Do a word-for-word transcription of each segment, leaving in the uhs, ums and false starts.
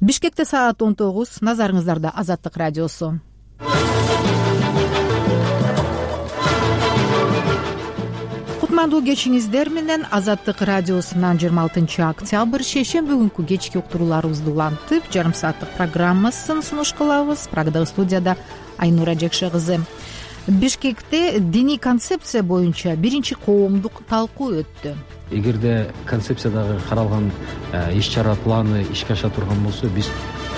Бишкекте саат он тогуз. Назарыңыздарда Азаттык радиосу. Кутмандуу кечиңиздер менен Азаттык радиосунан жыйырма алтынчы октябрь шейшемби күнкү кечки уктурууларыбызды улантып, жарым сааттык программасын сунуш кылабыз. Программада студияда Айнура Жекше кызы. Бишкекте диний концепция боюнча биринчи коомдук талкуу өттү. Эгерде концепциядагы каралган иш чара планы ишке аша турган болсо, биз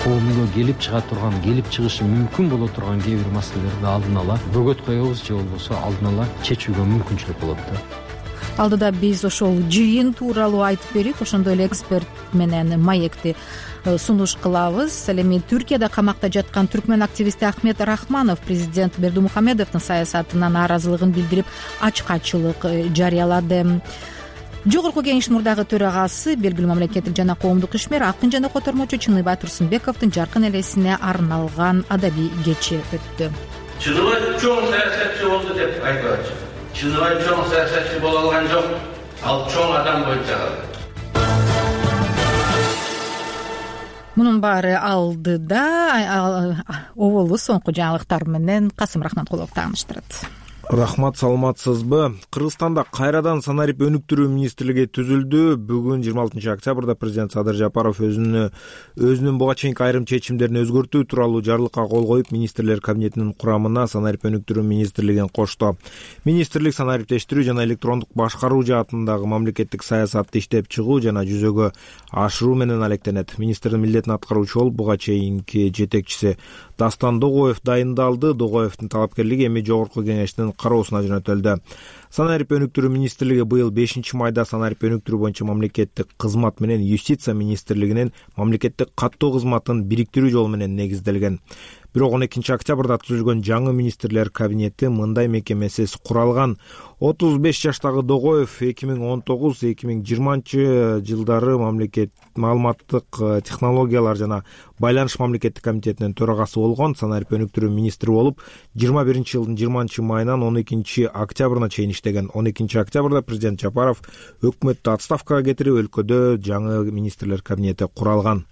коомго келип чыга турган, келип чыгышы мүмкүн боло турган кээ бир маселелерди алдын ала бөгөт коебуз, же болбосо алдын ала чечүүгө мүмкүнчүлүк болот да. Алдыда биз ошол жыйын тууралуу айтып берип, ошондой эле эксперт менен маекти сунуш кылабыз. Ал эми Түркияда камакта жаткан түркмөн активисти Ахмет Рахманов президент Бердымухамедовдун саясатына нааразылыгын билдирип, ачкачылык жарыялады. Жогорку кеңештин мурдагы төрагасы, белгилүү мамлекеттик жана коомдук ишмер, акын жана котормочу Чыныбай Турсунбековдун жаркын элесине арналган адабий кечи өттү. Чыныбай чоң саясатчы болду деп айтып, Чыныбай чоң саясатчы боло алган жок, ал чоң адам болуп чыгат. Мунун баары алдыда оболу соңку жаңылыктар менен Касым Рахматкулов тааныштырат. Рахмат, саламатсызбы? Кыргызстанда кайрадан санарип өнүктүрүү министрлиги түзүлдү. Бүгүн жыйырма алтынчы октябрда президент Садыр Жапаров өзүнүн өзүнүн буга чейинки айрым чечимдерин өзгөртүү тууралуу жарлыкка кол коюп, министрлер кабинетинин курамына санарип өнүктүрүү министрлигин кошту. Министрлик санариптештирүү жана электрондук башкаруу жаатындагы мамлекеттик саясатты иштеп чыгуу жана жүзөгө ашыруу менен алектенет. Министрдин милдетин аткаруучу болуп буга чейинки жетекчиси Дастан Догоев дайындалды. Догоевдин талапкерлиги эми жогорку кеңештин кароосуна жөнөтүлдү. Санарип өнүктүрүү министрлиги быйыл бешинчи майда санарип өнүктүрүү боюнча мамлекеттик кызмат менен юстиция министрлигинин мамлекеттик каттоо кызматын бириктирүү жолу менен негизделген. Бирок он экинчи октябрда түзүлгөн жаңы министрлер кабинети мындай мекемесиз куралган. отуз беш жаштагы Догоев эки миң он тогуз эки миң жыйырманчы жылдары мамлекет маалыматтык технологиялар жана байланыш мамлекеттик комитетинин төрагасы болгон. Санарип өнүктүрүү министри болуп жыйырма биринчи жылдын жыйырманчы майынан он экинчи октябрына чейин иштеген. он экинчи октябрда президент Жапаров өкмөттү отставкага кетирип, өлкөдө жаңы министрлер кабинети куралган.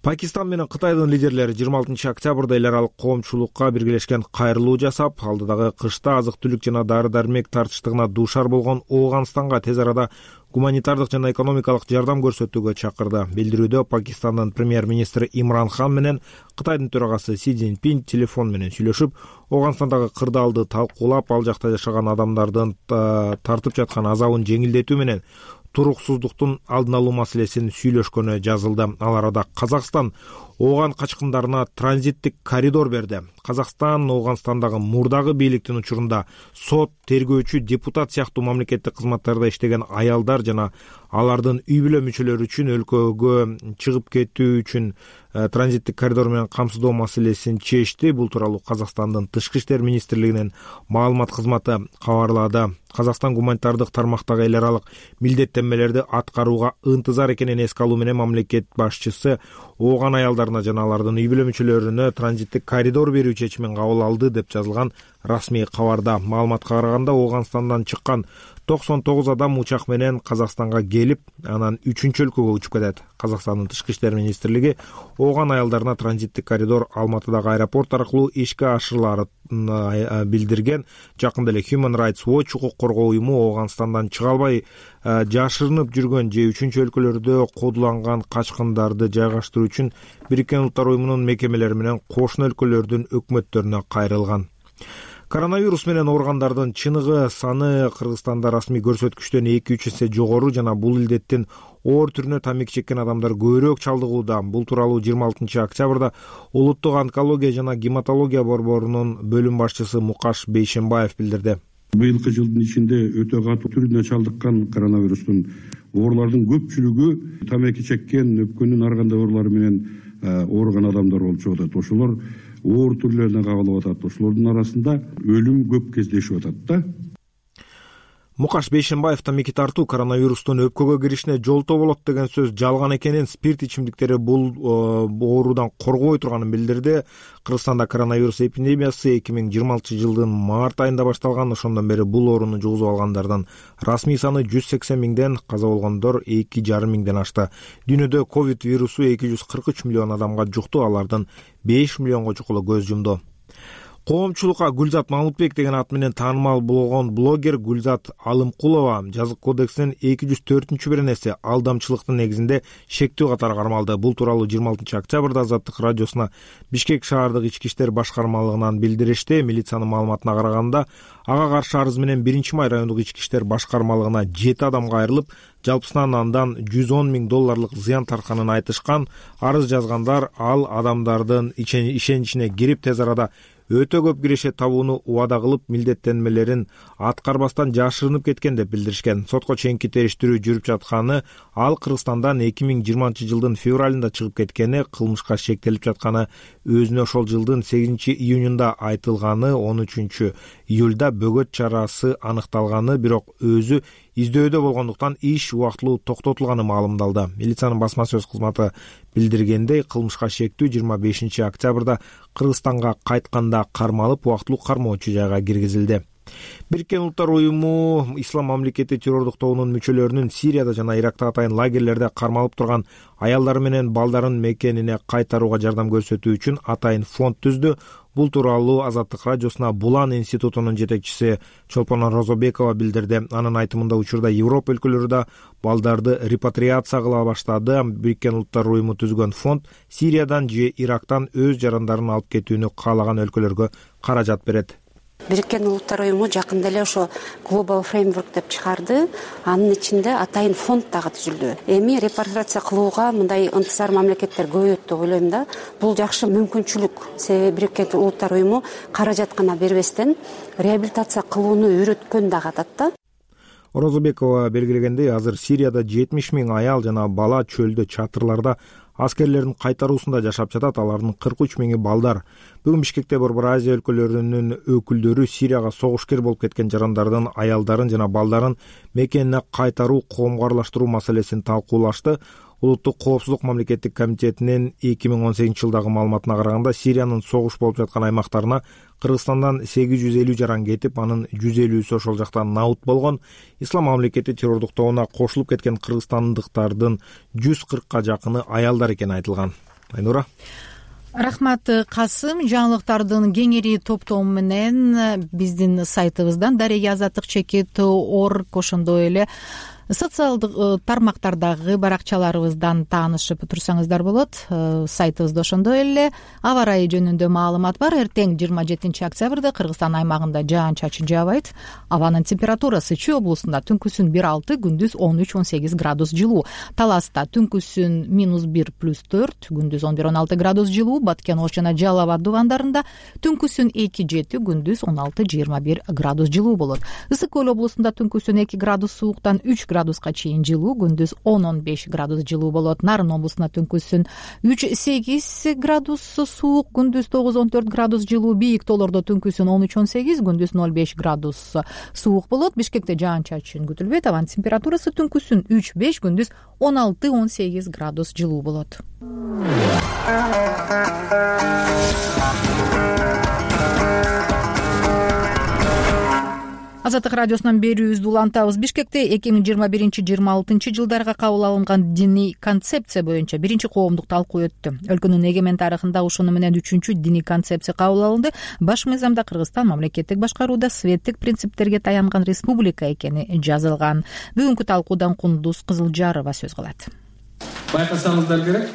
Пакистан менен Кытайдын лидерлери жыйырма алтынчы октябрда эл аралык коомчулукка биргелешкен кайрылуу жасап, алдыдагы кышта азык-түлүк жана дары-дармек тартыштыгына дуушар болгон Ооганстанга тез арада гуманитардык жана экономикалык жардам көрсөтүүгө чакырды. Билдирүүдө Пакистандын премьер-министри Имран Хан менен Кытайдын төрагасы Си Цзиньпин телефон менен сүйлөшүп, Ооганстандагы кырдаалды талкуулап, ал жакта жашаган адамдардын тартып жаткан азабын жеңилдетүү менен туруксуздуктун алдын алуу маселесин сүйлөшкөнү жазылды. Ал арада Казакстан Ооган качкындарына транзиттик коридор берди. Казакстан Ооганстандагы мурдагы бийликтин учурунда сот, тергөөчү, депутат сыяктуу мамлекеттик кызматтарда иштеген аялдар жана алардын үй бүлө мүчөлөрү үчүн өлкөгө чыгып кетүү үчүн транзиттик коридор менен камсыздоо маселесин чечти. Бул тууралуу Казакстандын Тышкы иштер министрлигинин маалымат кызматы кабарлады. Казакстан гуманитардык тармактагы эл аралык милдеттенмелерди аткарууга ынтызар экенин эске алуу менен мамлекет башчысы Ооган аялдарына жана алардын үй бүлө мүчөлөрүнө транзиттик коридор берүү чечимин кабыл алды деп жазылган расмий кабарда. Маалыматка караганда, Ооганстандан чыккан токсон тогуз адам учак менен Казакстанга келип, анан үчүнчү өлкөгө учуп кетет. Казакстандын Тышкы иштер министрлиги Ооган аялдарына транзиттик коридор Алматыдагы аэропорт аркылуу ишке ашырыларын билдирген. Жакында эле Human Rights Watch укук коргоо уюму Ооганстандан чыга албай жашырынып жүргөн же үчүнчү өлкөлөрдө кодуланган качкындарды жайгаштыруу үчүн Бириккен Улуттар уюмунун мекемелери менен кошуна өлкөлөрдүн өкмөттөрүнө кайрылган. Коронавирус менен ооругандардын чыныгы саны Кыргызстанда расмий көрсөткүчтөн эки үч эсе жогору жана бул илдеттин оор түрүнө тамеки чеккен адамдар көбүрөөк чалдыгууда. Бул тууралуу жыйырма алтынчы октябрда Улуттук онкология жана гематология борборунун бөлүм башчысы Мукаш Бейшембаев билдирди. Быйылкы жылдын ичинде өтө катуу түрүнө чалдыккан коронавирустун оорулардын көпчүлүгү тамеки чеккен, өпкөнүн ар кандай оорулары менен ооруган адамдар болуп чыгып атат. Ошолор оор түрлөрүнө кабылып атат. Ошолордун арасында өлүм көп кездешип атат да. Мукаш Бейшенбаевдин мики тартуу коронавирустун өпкөгө киришине жолтоо болот деген сөз жалган экенин, спирт ичимдиктери бул оорудан коргобой турганын билдирди. Кыргызстанда коронавирус эпидемиясы эки миң жыйырма алтынчы жылдын март айында башталган. Ошондон бери бул ооруну жугузуп алгандардын расмий саны жүз сексен миңден, каза болгондор эки жарым миңден ашты. Дүйнөдө ковид вирусу эки жүз кырк үч миллион адамга жукту, алардын беш миллионго жукулу көз жумду. Коомчулукка Гүлзат Мамутбек деген ат менен таанымал болгон блогер Гүлзат Алымкулова жазык кодексинин эки жүз төртүнчү беренеси алдамчылыктын негизинде шектүү катары кармалды. Бул тууралуу жыйырма алтынчы октябрда Азаттык радиосуна Бишкек шаардык ички иштер башкармалыгынан билдиришти. Милициянын маалыматына караганда, ага каршы арыз менен биринчи май райондук ички иштер башкармалыгына жети адам кайрылып, жалпысынан андан жүз он миң долларлык зыян тартканын айтышкан. Арыз жазгандар ал адамдардын ишеничине кирип, тез арада өтө көп кирешет табууну убада кылып, милдеттенмелерин аткарбастан жашырынып кеткен деп билдиришкен. Сотко чейинки териштирүү жүрүп жатканы, ал Кыргызстандан эки миң жыйырманчы жылдын февралында чыгып кеткени, кылмышка шектелип жатканы өзүнө ошол жылдын сегизинчи июнунда айтылганы, он үчүнчү июлда бөгөт чарасы аныкталганы, бирок өзү издөөдө болгондуктан иш убактылуу токтотулганы маалымдалды. Милициянын басма сөз кызматы билдиргендей, кылмышка шектүү жыйырма бешинчи октябрда Кыргызстанга кайтканда кармалып, убактылуу кармоочу жайга киргизилди. Бириккен Улуттар уюму Ислам мамлекети террордук тобунун мүчөлөрүнүн Сирияда жана Иракта атайын лагерлерде кармалып турган аялдар менен балдарын мекенине кайтарууга жардам көрсөтүү үчүн атайын фонд түздү. Бул тууралуу Азаттык радиосуна Булан институтунун жетекчиси Чолпон Розобекова билдирди. Анын айтымында, учурда Европа өлкөлөрү да балдарды репатриация кыла баштады. Бириккен Улуттар уюму түзгөн фонд Сириядан же Ирактан өз жарандарын алып кетүүнү каалаган өлкөлөргө каражат берет. Бириккен Улуттар уюму жакында эле ошо Global Framework деп чыгарды. Анын ичинде атайын фонд дагы түзүлдү. Эми репатриация кылууга мындай ынтызар мамлекеттер көбөйөт деп ойлойм да. Бул жакшы мүмкүнчүлүк. Себеби Бириккен Улуттар уюму каражат гана бербестен реабилитация кылууну үйрөткөн дагы атат да. Розобекова белгилегендей, азыр Сирияда жетимиш миң аял жана бала чөлдө чатырларда аскерлердин кайтаруусунда жашап жатат. Алардын кырк үч миңи балдар. Бүгүн Бишкекте Борбор Азия өлкөлөрүнүн өкүлдөрү Сирияга согушкер болуп кеткен жарандардын аялдарын жана балдарын мекенине кайтаруу, коомго аралаштыруу маселесин талкуулашты. Улуттук коопсуздук мамлекеттик комитетинин эки миң он сегизинчи жылдагы маалыматына караганда, Сириянын согуш болуп жаткан аймактарына Кыргызстандан сегиз жүз элүү жаран кетип, анын жүз элүүсү ошол жакта наут болгон. Ислам мамлекети террордук тобуна кошулуп кеткен кыргызстандыктардын жүз кыркка жакыны аялдар экени айтылган. Айнура. Рахмат Касым. Жаңылыктардын кеңири топтому менен биздин сайтыбыздан Дария Азаттык чекит орг, ошондой эле социалдык тармактардагы баракчаларыбыздан таанышып турсаңыздар болот. Сайтыбызда ошондой эле аба ырайы жөнүндө маалымат бар. Эртең жыйырма жетинчи октябрда Кыргызстан аймагында жаан-чачын жаабайт. Абанын температурасы Чүй облусунда түнкүсүн бир алты, күндүз он үч он сегиз градус жылуу. Таласта түнкүсүн минус бир плюс төрт, күндүз он бир он алты градус жылуу. Баткен Ош жана Жалал Абад дубандарында түнкүсүн эки жети, күндүз он алты жыйырма бир градус жылуу болот. Ысык көл облусунда түнкүсүн эки градус сууктан үч градуска чейин жылуу, күндүз он он беш градус жылуу болот. Нарын облусунда түнкүсүн үч сегиз градус суук, күндүз тогуз он төрт градус жылуу. Бийик тоолордо түнкүсүн он үч он сегиз, күндүз ноль беш градус суук болот. Бишкекте жаан-чачын күтүлбөйт. Абанын температурасы түнкүсүн үч беш, күндүз он алты он сегиз градус жылуу болот. Азаттык радиосунан берүүбүздү улантабыз. Бишкекте эки миң жыйырма биринчи жыйырма алтынчы жылдарга кабыл алынган диний концепция боюнча биринчи коомдук талкуу өттү. Өлкөнүн эгемен тарыхында ушуну менен үчүнчү диний концепция кабыл алынды. Баш мыйзамда Кыргызстан мамлекеттик башкарууда светтик принциптерге таянган республика экени жазылган. Бүгүнкү талкуудан Кундуз Кызылжарова сөз кылат. Байкасаңыздар керек,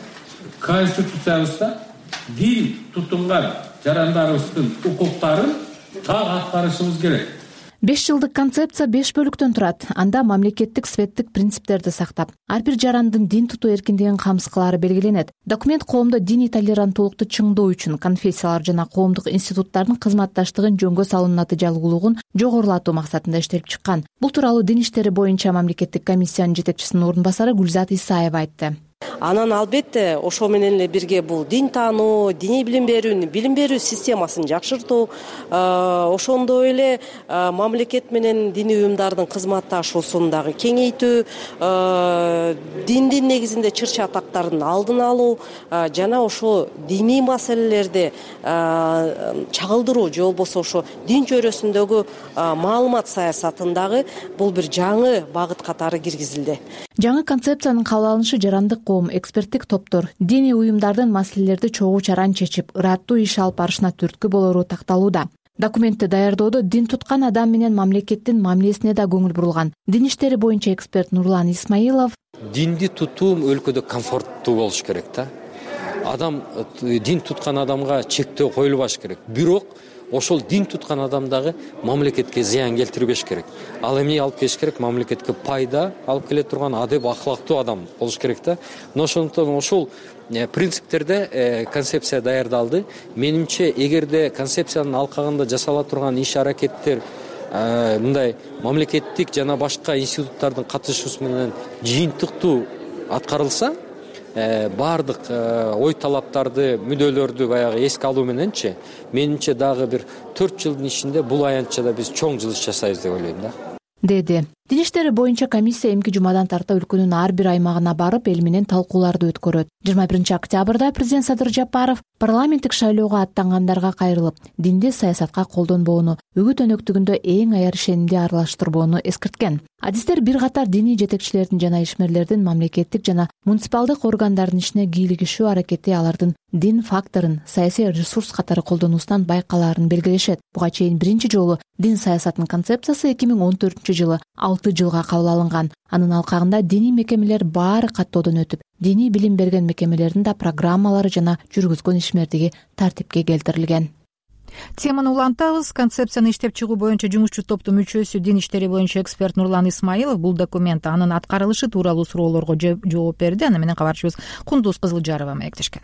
конституциябызда дин тутунган жарандарыбыздын укуктарын так аткарышыбыз керек. беш жылдык концепция беш бөлүктөн турат. Анда мамлекеттик светтик принциптерди сактап, ар бир жарандын дин тутуу эркиндигин камсыз кылаары белгиленет. Документ коомдо диний толеранттуулукту чыңдоо үчүн конфессиялар жана коомдук институттардын кызматташтыгын жөнгө салуу натыйжалуулугун жогорулатуу максатында иштелип чыккан. Бул тууралуу дин иштери боюнча мамлекеттик комиссиянын жетекчисинин орун басары Гүлзат Исаева айтты. Анан албетте ошо менен эле бирге бул дин таануу, диний билим берүүнү билим берүү системасын жакшыртуу, ошондой эле мамлекет менен диний уюмдардын кызматташуусун дагы кеңейтүү, диндин негизинде чыр чатактардын алдын алуу жана ошо диний маселелерди чагылдыруу же болбосо ошо дин чөйрөсүндөгү маалымат саясатын дагы бул бир жаңы багыт катары киргизилди. Жаңы концепциянын кабыл алынышы жарандык коом, эксперттик топтор, диний уюмдардын маселелерди чогуу чаран чечип, ыраттуу иш алып барышына түрткү болору такталууда. Документти даярдоодо дин туткан адам менен мамлекеттин мамилесине да көңүл бурулган. Дин иштери боюнча эксперт Нурлан Исмаилов: динди тутуу өлкөдө комфорттуу болуш керек да. Адам дин туткан адамга чектөө коюлбаш керек. Бирок ошол дин туткан адам дагы мамлекетке зыян келтирбеш керек. Ал эмне алып келиш керек? Мамлекетке пайда алып келе турган адеп, ахлактуу адам болуш керек да. Ошондуктан ошол принциптерде концепция даярдалды. Менимче, эгерде концепциянын алкагында жасала турган иш-аракеттер мындай мамлекеттик жана башка институттардын катышуусу менен жыйынтыктуу аткарылса, баардык ой талаптарды, мүдөлөрдү баягы эске алуу мененчи, менимче дагы бир төрт жылдын ичинде бул аянтчада биз чоң жылыш жасайбыз деп ойлойм да. Деди. Дин иштери боюнча комиссия эмки жумадан тарта өлкөнүн ар бир аймагына барып, эл менен талкууларды өткөрөт. жыйырма биринчи октябрда президент Садыр Жапаров парламенттик шайлоого аттангандарга кайрылып, динди саясатка колдонбоону, үгүт өнөктүгүндө эң аяр ишенимди аралаштырбоону эскерткен. Адистер бир катар диний жетекчилердин жана ишмерлердин мамлекеттик жана муниципалдык органдардын ишине кийлигишүү аракети алардын дин факторун саясий ресурс катары колдонуусунан байкалаарын белгилешет. Буга чейин биринчи жолу дин саясатынын концепциясы эки миң он төртүнчү жылы алты жылга кабыл алынган. Анын алкагында диний мекемелер баары каттоодон өтүп, диний билим берген мекемелердин да программалары жана жүргүзгөн ишмердиги тартипке келтирилген. Теманы улантабыз. Концепцияны иштеп чыгуу боюнча жумушчу топтун мүчөсү, дин иштери боюнча эксперт Нурлан Исмаилов бул документ анын аткарылышы тууралуу суроолорго жооп берди. Аны менен кабарчыбыз Кундуз Кызылжарова маектешкен.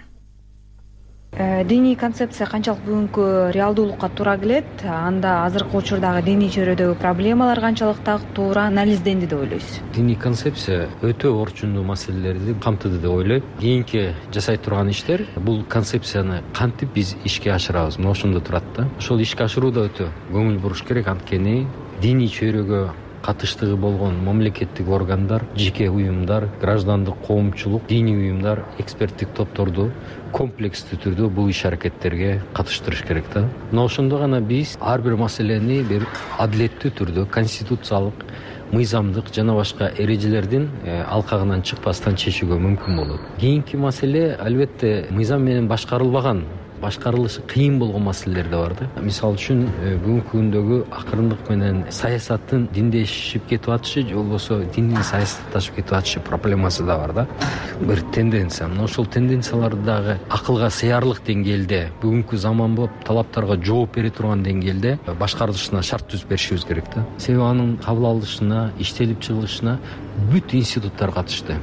Диний концепция канчалык бүгүнкү реалдуулукка туура келет, анда азыркы учурдагы диний чөйрөдөгү проблемалар канчалык туура анализденди деп ойлойсуз? Диний концепция өтө орчундуу маселелерди камтыды деп ойлойм. Кийинки жасай турган иштер бул концепцияны кантип биз ишке ашырабыз, мына ошондо турат да. Ошол ишке ашырууда өтө көңүл буруш керек, анткени диний чөйрөгө катыштыгы болгон мамлекеттик органдар, жеке уюмдар, граждандык коомчулук, диний уюмдар, эксперттик топторду комплекстүү түрдө бул иш-аракеттерге катыштырыш керек да. Мына ошондо гана биз ар бир маселени бир адилеттүү түрдө конституциялык, мыйзамдык жана башка эрежелердин алкагынан чыкпастан чечүүгө мүмкүн болот. Кийинки маселе албетте мыйзам менен башкарылбаган, башкарылышы кыйын болгон маселелер да бар да. Мисалы үчүн бүгүнкү күндөгү акырындык менен саясаттын диндешип кетип атышы же болбосо диндин саясатташып кетип атышы проблемасы да бар да. Бир тенденция. Мына ошол тенденцияларды дагы акылга сыярлык деңгээлде, бүгүнкү заманбап талаптарга жооп бере турган деңгээлде башкарылышына шарт түзүп беришибиз керек да. Себеби анын кабыл алынышына, иштелип чыгылышына бүт институттар катышты.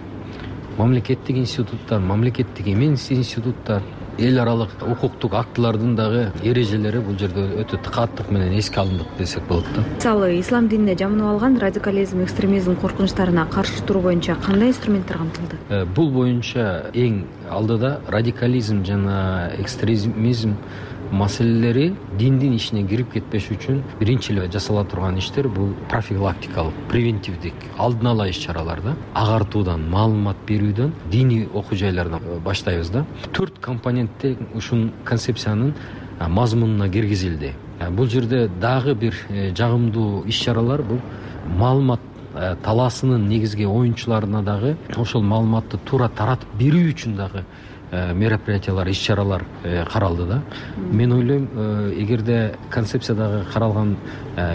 Мамлекеттик институттар, мамлекеттик эмес институттар, эл аралык укуктук актылардын дагы эрежелери бул жерде өтө тыкааттык менен эске алындык десек болот да. Мисалы, ислам динине жаманып алган радикализм, экстремизм коркунучтарына каршы туруу боюнча кандай инструменттер камтылды? Бул боюнча эң алдыда радикализм жана экстремизм маселелери диндин ичине кирип кетпеш үчүн биринчи эле жасала турган иштер бул профилактикалык, превентивдик, алдын ала иш-чаралар да. Агартуудан, маалымат берүүдөн, диний окуу жайлардан баштайбыз да. Төрт компонентте ушул концепциянын мазмунуна киргизилди. Бул жерде дагы бир жагымдуу иш-чаралар бул маалымат талаасынын негизги оюнчуларына дагы ошол маалыматты туура таратып берүү үчүн дагы мероприятиялар, иш-чаралар каралды да. Мен ойлойм, эгерде концепциядагы каралган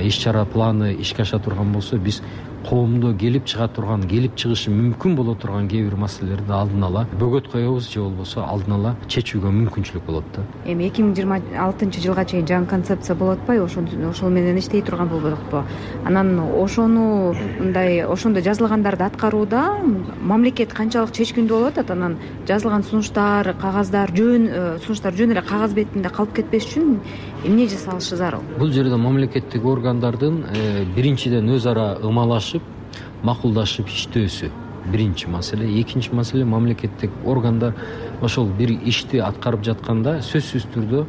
иш-чара планы ишке аша турган болсо, биз коомдо келип чыга турган, келип чыгышы мүмкүн боло турган кээ бир маселелерди алдын ала бөгөт коебуз же болбосо алдын ала чечүүгө мүмкүнчүлүк болот да. Эми эки миң жыйырма алтынчы жылга чейин жаңы концепция болуп атпайбы? Ошон ошол менен иштей турган болбодукпу? Анан ошону мындай ошондо жазылгандарды аткарууда мамлекет канчалык чечкиндүү болуп атат? Анан жазылган сунуштар, кагаздар жөн сунуштар жөн эле кагаз бетинде калып кетпеш үчүн эмне жасалышы зарыл? Бул жерде мамлекеттик органдардын биринчиден өз ара ымалашып, макулдашып иштөөсү биринчи маселе. Экинчи маселе, мамлекеттик органдар ошол бир ишти аткарып жатканда сөзсүз түрдө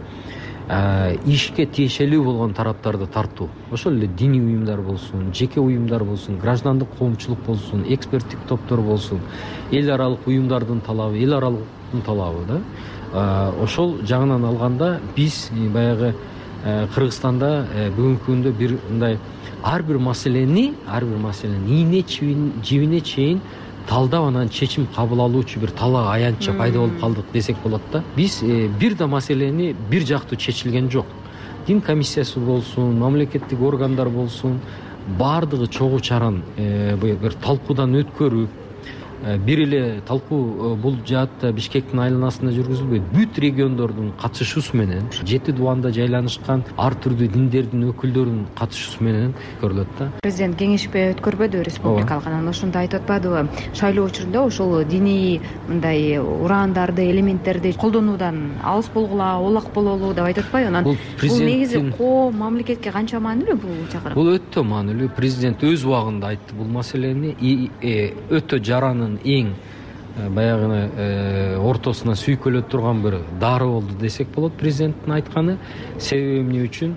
ишке тиешелүү болгон тараптарды тартуу. Ошол эле диний уюмдар болсун, жеке уюмдар болсун, граждандык коомчулук болсун, эксперттик топтор болсун, эл аралык уюмдардын талабы, эл аралыктын талабы да. Ошол жагынан алганда биз баягы Кыргызстанда бүгүнкү күндө бир мындай ар бир маселени, ар бир маселени ийне жибине чейин талдап анан чечим кабыл алуучу бир талаа аянтча пайда болуп калдык десек болот да. Биз бир да маселени бир жактуу чечилген жок. Дин комиссиясы болсун, мамлекеттик органдар болсун, баардыгы чогуу чаран бир талкуудан өткөрүп, бир эле талкуу бул жаатта Бишкектин айланасында жүргүзүлбөйт. Бүт региондордун катышуусу менен, жети дубанда жайланышкан ар түрдүү диндердин өкүлдөрүнүн катышуусу менен көрүлөт да. Президент кеңешпе өткөрбөдү республикалык, анан ошондо айтып атпадыбы, шайлоо учурунда ошол диний мындай ураандарды, элементтерди колдонуудан алыс болгула, олак бололу деп айтып атпайбы? Анан бул негизи коом, мамлекетке канча маанилүү бул чакырым? Бул өтө маанилүү. Президент өз убагында айтты бул маселени, өтө жараны эң баягы ортосуна сүйкөлө турган бир дары болду десек болот президенттин айтканы. Себеби эмне үчүн?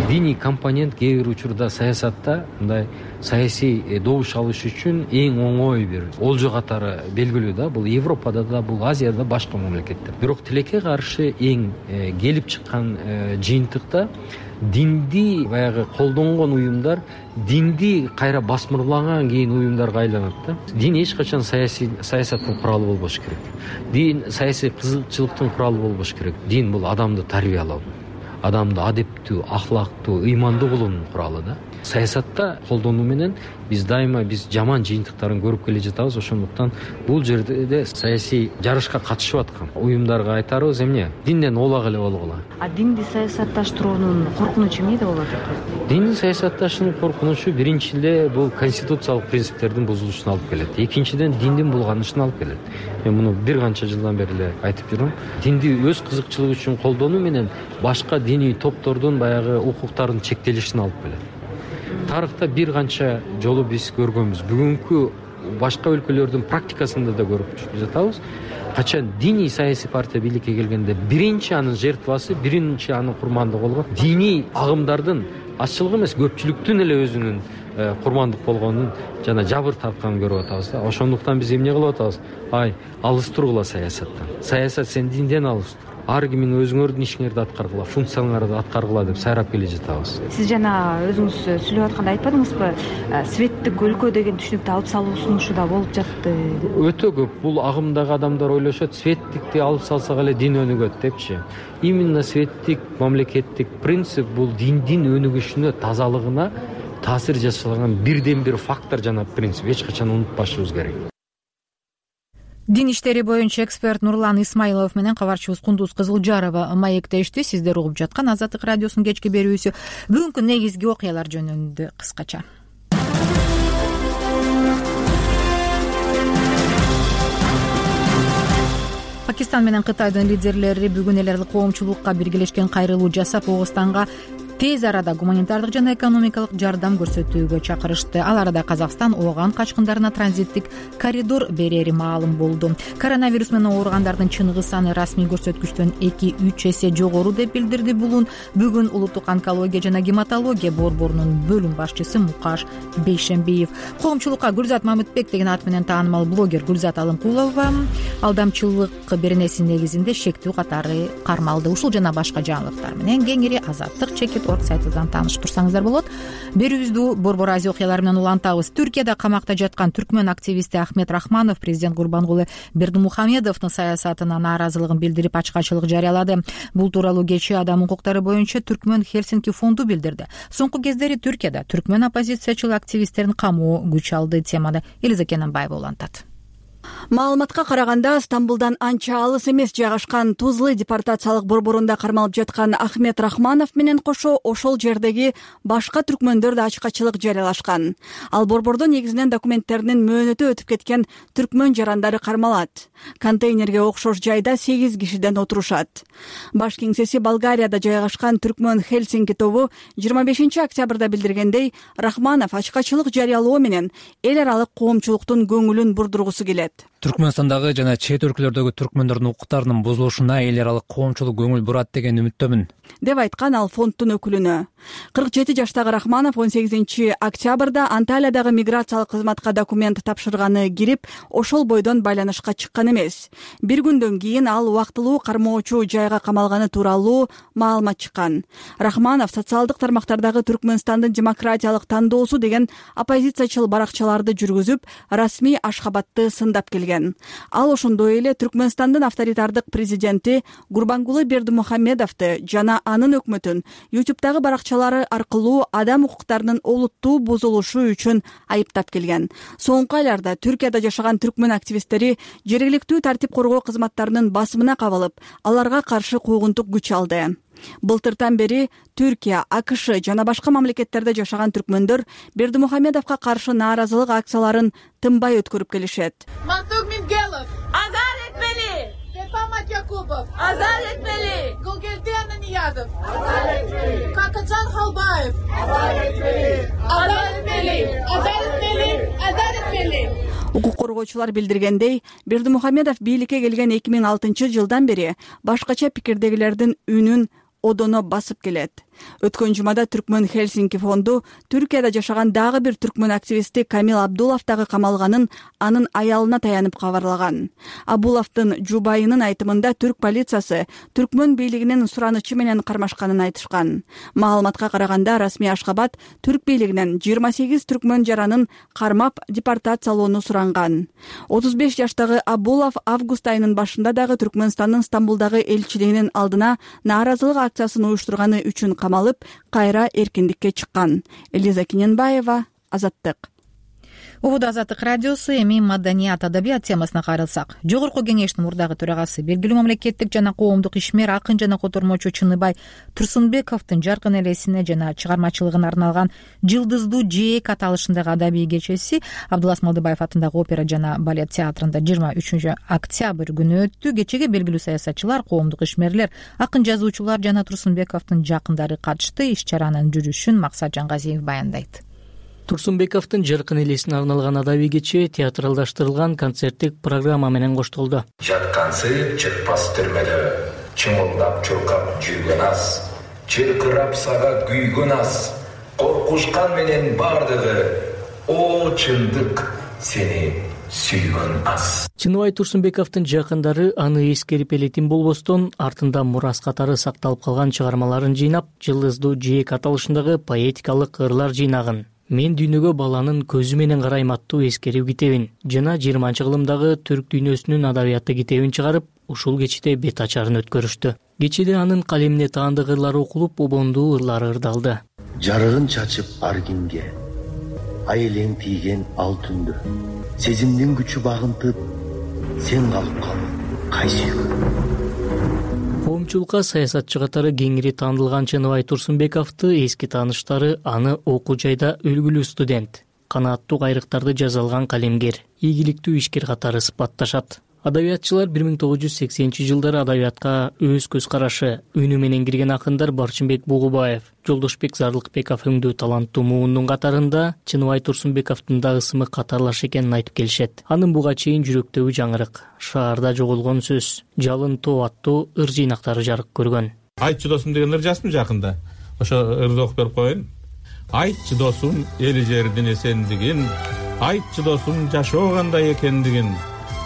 Диний компонент кээ бир учурда саясатта мындай саясий добуш алыш үчүн эң оңой бир олжо катары белгилүү да. Бул Европада да, бул Азияда, башка мамлекеттер. Бирок тилекке каршы эң келип чыккан жыйынтыкта динди баягы колдонгон уюмдар динди кайра басмырлаган кийин уюмдарга айланат да. Дин эч качан саясий саясаттын куралы болбош керек. Дин саясий кызыкчылыктын куралы болбош керек. Дин бул адамды тарбиялоо, адамды адептүү, ахлактуу, ыймандуу кылуунун куралы да. Саясатта колдонуу менен биз дайыма биз жаман жыйынтыктарын көрүп келе жатабыз. Ошондуктан бул жерде саясий жарышка катышып аткан уюмдарга айтарыбыз эмне? Динден олак эле болгула. А динди саясатташтыруунун коркунучу эмнеде болот? Динди саясатташтыруунун коркунучу биринчиде бул конституциялык принциптердин бузулушуна алып келет. Экинчиден диндин булганышына алып келет. Мен муну бир канча жылдан бери эле айтып жүрөм. Динди өз кызыкчылыгы үчүн колдонуу менен башка диний топтордун баягы укуктарынын чектелишине алып келет. Тарыхта бир канча жолу биз көргөнбүз. Бүгүнкү башка өлкөлөрдүн практикасында да көрүп жатабыз. Качан диний саясий партия бийликке келгенде биринчи анын жертвасы, биринчи анын курмандыгы болгон диний агымдардын азчылыгы эмес, көпчүлүктүн эле өзүнүн курмандык болгонун жана жабыр тартканын көрүп атабыз да. Ошондуктан биз эмне кылып атабыз? Ай, алыс тургула саясаттан. Саясат сен динден алыс тур. Ар кимиң өзүңөрдүн ишиңерди аткаргыла, функцияларыңарды аткаргыла деп сайрап келе жатабыз. Сиз жана өзүңүз сүйлөп атканда айтпадыңызбы, светтик өлкө деген түшүнүктү алып салуу сунушу да болуп жатты? Өтө көп. Бул агымдагы адамдар ойлошот, светтикти алып салсак эле дин өнүгөт депчи. Именно светтик мамлекеттик принцип бул диндин өнүгүшүнө, тазалыгына таасир жасаган бирден бир фактор жана принцип. Эч качан унутпашыбыз керек. Дин иштери боюнча эксперт Нурлан Исмаилов менен кабарчыбыз Кундуз Кызылжарова маектешти. Сиздер угуп жаткан Азаттык радиосунун кечки берүүсү. Бүгүнкү негизги окуялар жөнүндө кыскача. Пакистан менен Кытайдын лидерлери бүгүн эл аралык коомчулукка биргелешкен кайрылуу жасап, Оозстанга тез арада гуманитардык жана экономикалык жардам көрсөтүүгө чакырышты. Ал арада Казакстан Ооган качкындарына транзиттик коридор берери маалым болду. Коронавирус менен ооругандардын чыныгы саны расмий көрсөткүчтөн эки үч эсе жогору деп билдирди Булун. Бүгүн Улуттук онкология жана гематология борборунун бөлүм башчысы Мукаш Бейшембиев. Коомчулукка Гүлзат Мамытбек деген ат менен таанымал блогер Гүлзат Алымкулова алдамчылык беренеси негизинде шектүү катары кармалды. Ушул жана башка жаңылыктар менен кеңири Азаттык чекит сайтынан таанышып турсаңыздар болот. Берүүбүздү Борбор Азия окуялары менен улантабыз. Түркияда камакта жаткан түркмөн активисти Ахмет Рахманов президент Гурбангулы Бердимухамедовдун саясатына нааразылыгын билдирип, ачык-ачык жарыялады. Бул тууралуу кечээ адам укуктары боюнча Түркмөн Хельсинки фонду билдирди. Соңку кездери Түркияда түркмөн оппозициячыл активисттерин камоо күч алды. Теманы Элиза Кененбаева улантат. Маалыматка караганда, Стамбулдан анча алыс эмес жайгашкан Тузлы депортациялык борборунда кармалып жаткан Ахмет Рахманов менен кошо ошол жердеги башка түркмөндөр да ачкачылык жарыялашкан. Ал борбордо негизинен документтеринин мөөнөтү өтүп кеткен түркмөн жарандары кармалат. Контейнерге окшош жайда сегиз кишиден отурушат. Баш кеңсеси Болгарияда жайгашкан түркмөн Хельсинки тобу жыйырма бешинчи октябрда билдиргендей, Рахманов ачкачылык жарыялоо менен эл аралык коомчулуктун көңүлүн бурдургусу келет. Түркмөнстандагы жана чет өлкөлөрдөгү түркмөндөрдүн укуктарынын бузулушуна эл аралык коомчулук көңүл бурат деген үмүттөмүн, деп айткан ал фонддун өкүлүнө. кырк жети жаштагы Рахманов он сегизинчи октябрда Анталиядагы миграциялык кызматка документ тапшырганы кирип, ошол бойдон байланышка чыккан эмес. Бир күндөн кийин ал убактылуу кармоочу жайга камалганы тууралуу маалымат чыккан. Рахманов социалдык тармактардагы Түркмөнстандын демократиялык тандоосу деген оппозициячыл баракчаларды жүргүзүп, расмий Ашхабадты сындап келген. Ал ошондой эле Түркмөнстандын авторитардык президенти Гурбангулы Бердимухамедовду жана анын өкмөтүн YouTube'дагы баракчалары аркылуу адам укуктарынын олуттуу бузулушу үчүн айыптап келген. Соңку айларда Түркияда жашаган түркмөн активисттери жергиликтүү тартип коргоо кызматтарынын басымына кабылып, аларга каршы куугунтук күч алды. Былтыртан бери Түркия, АКШ жана башка мамлекеттерде жашаган түркмөндөр Бердимухамедовго каршы нааразылык акцияларын тынбай өткөрүп келишет. Мактук Мингелов азат этмели, Степан Якубов азат этмели, Гулгелден Аниязов азат этмели, Какачан Халбаев азат этмели, азат этмели, азат этмели, азат этмели. Укук коргоочулар билдиргендей, Бердимухамедов бийликке келген эки миң алтынчы жылдан бери башкача пикирдегилердин үнүн одоно басып келет. Өткөн жумада Түркмөн Хельсинки фонду Түркияда жашаган дагы бир түркмөн активисти Камил Абдулов дагы камалганын анын аялына таянып кабарлаган. Абуловдун жубайынын айтымында түрк полициясы түркмөн бийлигинин суранычы менен кармашканын айтышкан. Маалыматка караганда, расмий Ашхабад түрк бийлигинен жыйырма сегиз түркмөн жаранын кармап депортациялоону суранган. отуз беш жаштагы Абулов август айынын башында дагы Түркмөнстандын Стамбулдагы элчилигинин алдына нааразылык акциясын уюштурганы үчүн камалып, кайра эркиндикке чыккан. Элиза Киненбаева, Азаттык. Убуду Азаттык радиосу. Эми маданият, адабият темасына кайрылсак. Жогорку кеңештин мурдагы төрагасы, белгилүү мамлекеттик жана коомдук ишмер, акын жана котормочу Чыныбай Турсунбековдун жаркын элесине жана чыгармачылыгына арналган Жылдыздуу жээк аталышындагы адабий кечеси Абдулас Малдыбаев атындагы опера жана балет театрында жыйырма үчүнчү октябрь күнү өттү. Кечеге белгилүү саясатчылар, коомдук ишмерлер, акын жазуучулар жана Турсунбековдун жакындары катышты. Иш-чаранын жүрүшүн Максат Жангазиев баяндайт. Турсунбековдун жаркын элесине арналган адабий кече театралдаштырылган концерттик программа менен коштолду. Жаткансы чыкпас түрмөдө, чымылдап чуркап жүргөн аз, чыркырап сага күйгөн аз, коркушкан менен бардыгы, о чындык сени сүйгөн аз. Чыныбай Турсунбековдун жакындары аны эскерип элетин болбостон, артында мурас катары сакталып калган чыгармаларын жыйнап, Жылдыздуу жээк аталышындагы поэтикалык ырлар жыйнагын «Мен дүйнөгө баланын көзү менен карайм» аттуу эскерүү китебин жана жыйырманчы кылымдагы түрк дүйнөсүнүн адабияты китебин чыгарып, ушул кечеде бет ачарын өткөрүштү. Кечеде анын калемине таандык ырлары окулуп, обондуу ырлары ырдалды. Жарыгын чачып ар кимге, ай элең тийген ал түндө, сезимдин күчү багынтып, сен калып кал, кайсы үйгө. Коомчулукка саясатчы катары кеңири таанылган Чыныбай Турсунбековду эски тааныштары аны окуу жайда үлгүлүү студент, канааттуу кайрыктарды жаза алган калемгер, ийгиликтүү ишкер катары сыпатташат. Адабиятчылар бир миң тогуз жүз сексенинчи жылдары адабиятка өз көз карашы, үнү менен кирген акындар Барчынбек Бугубаев, Жолдошбек Зарлыкбеков өңдүү таланттуу муунун катарында Чыныбай Турсунбековдун да ысымы катарлаш экенин айтып келишет. Анын буга чейин жүрөктөгү жаңырык, шаарда жоголгон сөз, жалын тоо аттуу ыр жыйнактары жарык көргөн. Айтчы досум деген ыр жаздым жакында. Ошо ырды окуп берип коеюн. Айтчы досум эли жердин эсендигин, айтчы досум жашоо кандай экендигин,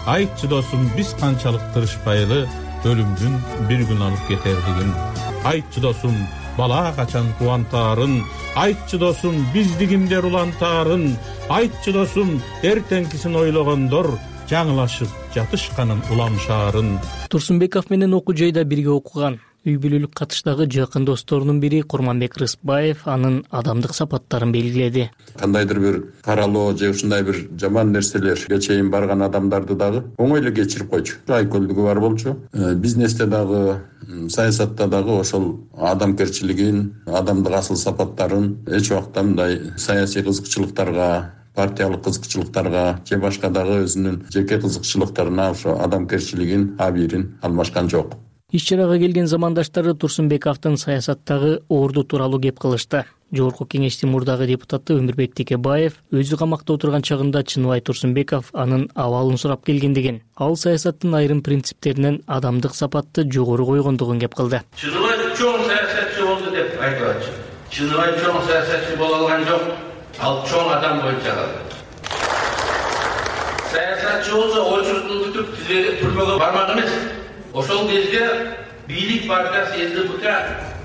айтчы досум биз канчалык тырышпайлы өлүмдүн бир күн алып кетердигин. Айтчы досум бала качан кубантаарын, айтчы досум бизди кимдер улантаарын, айтчы досум эртеңкисин ойлогондор жаңылашып жатышканын улам шаарын. Турсунбеков менен окуу жайда бирге окуган, Үй бүлөлүк катыштагы жакын досторунун бири Курманбек Рыспаев анын адамдык сапаттарын белгиледи. Кандайдыр бир каралоо же ушундай бир жаман нерселерге чейин барган адамдарды дагы оңой эле кечирип койчу. Айкөлдүгү бар болчу. Бизнесте дагы, саясатта дагы ошол адамгерчилигин, адамдык асыл сапаттарын эч убакта мындай саясий кызыкчылыктарга, партиялык кызыкчылыктарга же башка дагы өзүнүн жеке кызыкчылыктарына ошо адамгерчилигин, абийирин алмашкан жок. Иш-чарага келген замандаштары Турсунбековдун саясаттагы орду тууралуу кеп кылышты. Жогорку кеңештин мурдагы депутаты Өмүрбек Текебаев өзү камакта отурган чагында Чыныбай Турсунбеков анын абалын сурап келгендигин, ал саясаттын айрым принциптеринен адамдык сапатты жогору койгондугун кеп кылды. Чыныбай чоң саясатчы болду деп айтып атчы. Чыныбай чоң саясатчы боло алган жок, ал чоң адам боюнча калды. Саясатчы болсо очурдун күтүп түрмөгө бармак эмес. Ошол кезде бийлик партиясы ЛДПК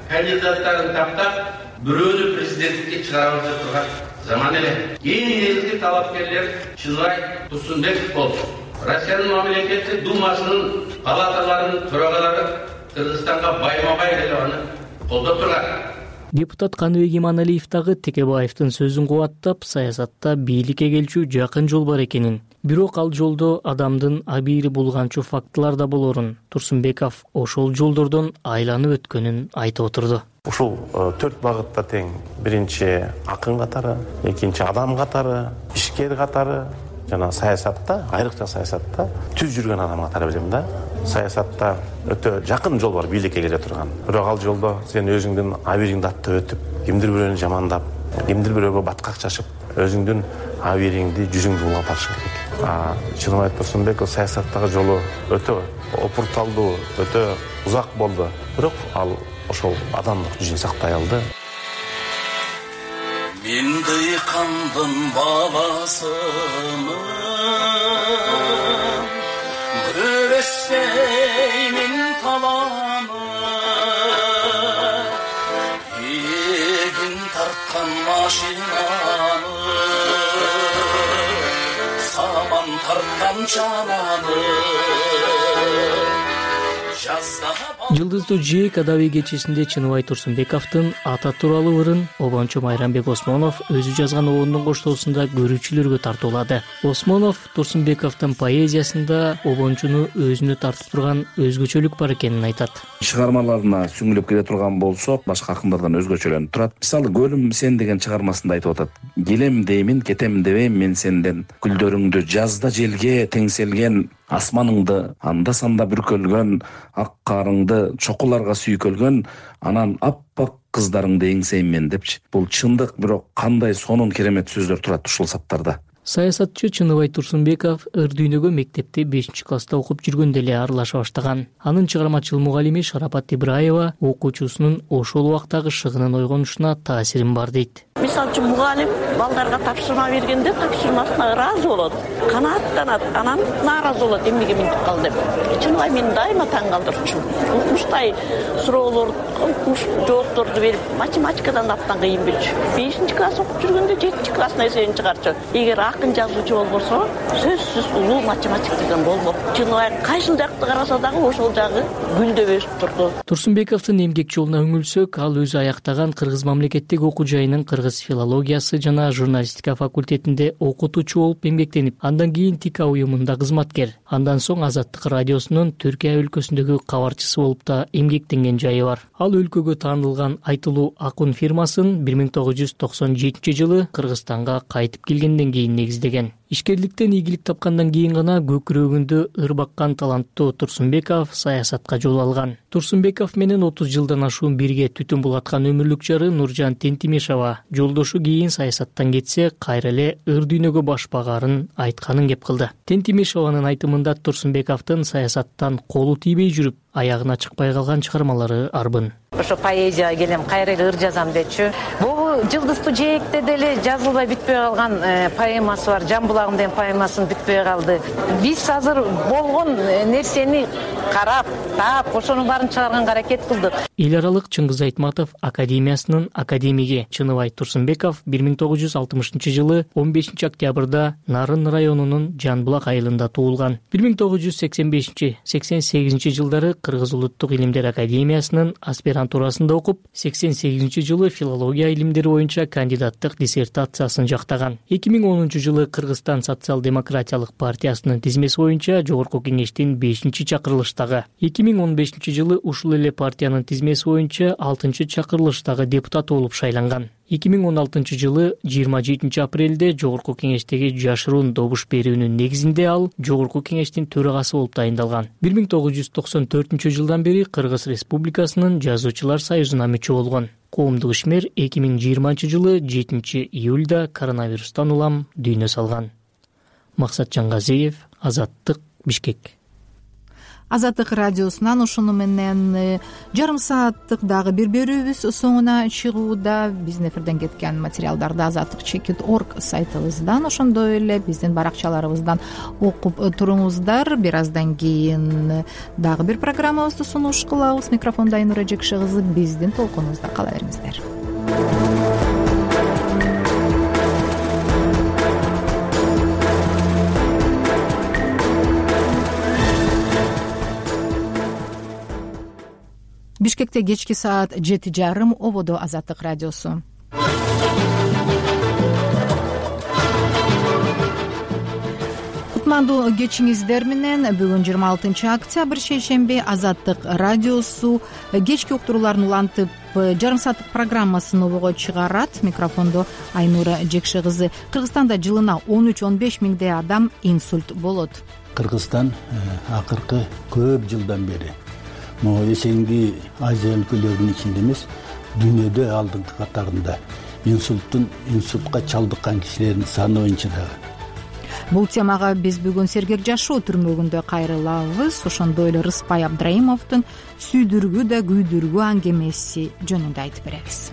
кандидаттарын таптап, бирөөнү президенттикке чыгарабыз деп турган заман эле. Эң негизги талапкерлер Чыныбай Турсунбеков болду. Россиянын мамлекеттик думасынын палаталарынын төрагалары Кыргызстанга байма-бай келип аны колдоп турган. Депутат Каныбек Иманалиев дагы Текебаевдин сөзүн кубаттап, саясатта бийликке келчү жакын жол бар экенин, бирок ал жолдо адамдын абийири булганчу фактылар да болорун Турсунбеков ошол жолдордон айланып өткөнүн айтып отурду. Ушул төрт багытта тең. Биринчи акын катары, экинчи адам катары, ишкер катары, жана саясатта, айрыкча саясатта түз жүргөн адам катары билем да. Саясатта өтө жакын жол бар бийликке келе турган. Бирок ал жолдо сен өзүңдүн абийириңди аттап өтүп, кимдир бирөөнү жамандап, кимдир бирөөгө баткак чачып, өзүңдүн абийириңди, жүзүңдү улап барышың керек. А Чыныбай Турсунбеков саясаттагы жолу өтө опурталдуу, өтө узак болду. Бирок ал ошол адамдык жүзүн сактай алды. Мен дыйкандын баласымын, көрөспеймин табаны, эгин тарткан машинаны, саман тарткан чананы. Жылдыздуу жээк адаби кечесинде Чыныбай Турсунбековдун ата тууралуу ырын обончу Майрамбек Осмонов өзү жазган обондун коштоосунда көрүүчүлөргө тартуулады. Осмонов Турсунбековдун поэзиясында обончуну өзүнө тартып турган өзгөчөлүк бар экенин айтат. Чыгармаларына сүңгүлөп келе турган болсок, башка акындардан өзгөчөлөнүп турат. Мисалы, Көлүм сен деген чыгармасында айтып атат: келем деймин, кетем дебейм мен сенден, гүлдөрүңдү жазда желге теңселген, асманыңды анда-санда бүркөлгөн, ак карыңды чокуларга сүйкөлгөн, анан аппак кыздарыңды эңсейм мен депчи. Бул чындык, бирок кандай сонун керемет сөздөр турат ушул саптарда. Саясатчы Чыныбай Турсунбеков ыр дүйнөгө мектепте бешинчи класста окуп жүргөндө эле аралаша баштаган. Анын чыгармачыл мугалими Шарапат Ибраева окуучусунун ошол убактагы шыгынын ойгонушуна таасирим бар дейт. Мисалы үчүн мугалим балдарга тапшырма бергенде тапшырмасына ыраазы болот, канааттанат, анан нааразы болот, эмнеге минтип кал деп. Чыныбай мени дайыма таң калтырчу. Укмуштай суроолор, укмуш жоопторду берип, математикадан абдан кыйын билчү. бешинчи класс окуп жүргөндө жетинчи класстын эсебин чыгарчу. Эгер акын жазуучу болбосо, сөзсүз улуу математик деген болмок. Чыныбай кайсыл жакты караса дагы ошол жагы гүлдөп өсүп турду. Турсунбековдун эмгек жолуна үңүлсөк, ал өзү аяктаган Кыргыз мамлекеттик окуу жайынын кыргыз филологиясы жана журналистика факультетинде окутуучу болуп эмгектенип, андан кийин ТИКА уюмунда кызматкер. Андан соң Азаттык радиосунун Түркия өлкөсүндөгү кабарчысы болуп да эмгектенген жайы бар. Ал өлкөгө таанылган Айтылуу Акун фирмасын бир миң тогуз жүз токсон жетинчи жылы Кыргызстанга кайтып келгенден кийин негиздеген. Ишкерликтен ийгилик тапкандан кийин гана көкүрөгүндө ыр баккан таланттуу Турсунбеков саясатка жол алган. Турсунбеков менен отуз жылдан ашуун бирге түтүн булаткан өмүрлүк жары Нуржан Тентимешова жолдошу кийин саясаттан кетсе, кайра эле ыр дүйнөгө баш багарын айтканын кеп кылды. Тентимешованын айтымында Турсунбековдун саясаттан колу тийбей жүрүп, аягына чыкпай калган чыгармалары арбын. Ошо поэзияга келем, кайра эле ыр жазам дечү. Бул жылдыздуу жээкте деле жазылбай бүтпөй калган поэмасы бар. Жамбул булагымда эми поэмасын бүтпөй калды. Биз азыр болгон нерсени карап, таап, ошонун баарын чыгарганга аракет кылдык. Эл аралык Чыңгыз Айтматов академиясынын академиги Чыныбай Турсунбеков бир миң тогуз жүз алтымышынчы жылы он бешинчи октябрда Нарын районунун Жанбулак айылында туулган. бир миң тогуз жүз сексен бешинчи — сексен сегизинчи жылдары Кыргыз улуттук илимдер академиясынын аспирантурасында окуп, сексен сегизинчи жылы филология илимдери боюнча кандидаттык диссертациясын жактаган. эки миң онунчу жылы Кыргызстан социал-демократиялык партиясынын тизмеси боюнча Жогорку кеңештин бешинчи чакырылыштагы, эки миң он бешинчи жылы ушул эле партиянын тизмеси боюнча алтынчы чакырылыштагы депутат болуп шайланган. эки миң он алтынчы жылы жыйырма жетинчи апрелде Жогорку кеңештеги жашыруун добуш берүүнүн негизинде ал Жогорку кеңештин төрагасы болуп тайындалган. бир миң тогуз жүз токсон төртүнчү жылдан бери Кыргыз Республикасынын Жазуучулар союзуна мүчө болгон. Коомдук ишмер эки миң жыйырманчы жылы жетинчи июлда коронавирустан улам дүйнө салган. Максат Жангазиев, Азаттык, Бишкек. Азаттык радиосунан ошону менен жарым сааттык дагы бир берүүбүз соңуна чыгууда. Биздин эфирден кеткен материалдарды азаттык чекит точка орг сайтыбыздан, ошондой эле биздин баракчаларыбыздан окуп туруңуздар. Бир аздан кийин дагы бир программабызды сунуш кылабыз. Микрофондо Айнура Жекши кызы. Биздин толкунубузда кала бериңиздер. Бишкекте кечки саат жети жарым, ободо Азаттык радиосу. Кутмандуу кечиңиздер менен бүгүн жыйырма алтынчы октябрь шейшемби Азаттык радиосу кечки уктурууларын улантып жарым сааттык программасын обого чыгарат. Микрофондо Айнура Жекши кызы. Кыргызстанда жылына он үч — он беш миңдей адам инсульт болот. Кыргызстан акыркы көп жылдан бери могу эсеңги Азия өлкөлөрүнүн ичинде эмес, дүйнөдө алдыңкы катарында инсульттун инсультка чалдыккан кишилердин саны боюнча дагы. Бул темага биз бүгүн Сергек жашоо түрмөгүндө кайрылабыз. Ошондой эле Рыспай Абдраимовдун сүйдүргү да күйдүргү аңгемеси жөнүндө айтып беребиз.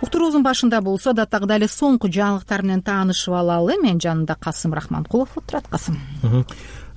Уктуруубуздун башында болсо датагы дали соңку жаңылыктар менен таанышып алалы. Мен жанында Касым Рахманкулов отурат. Касым.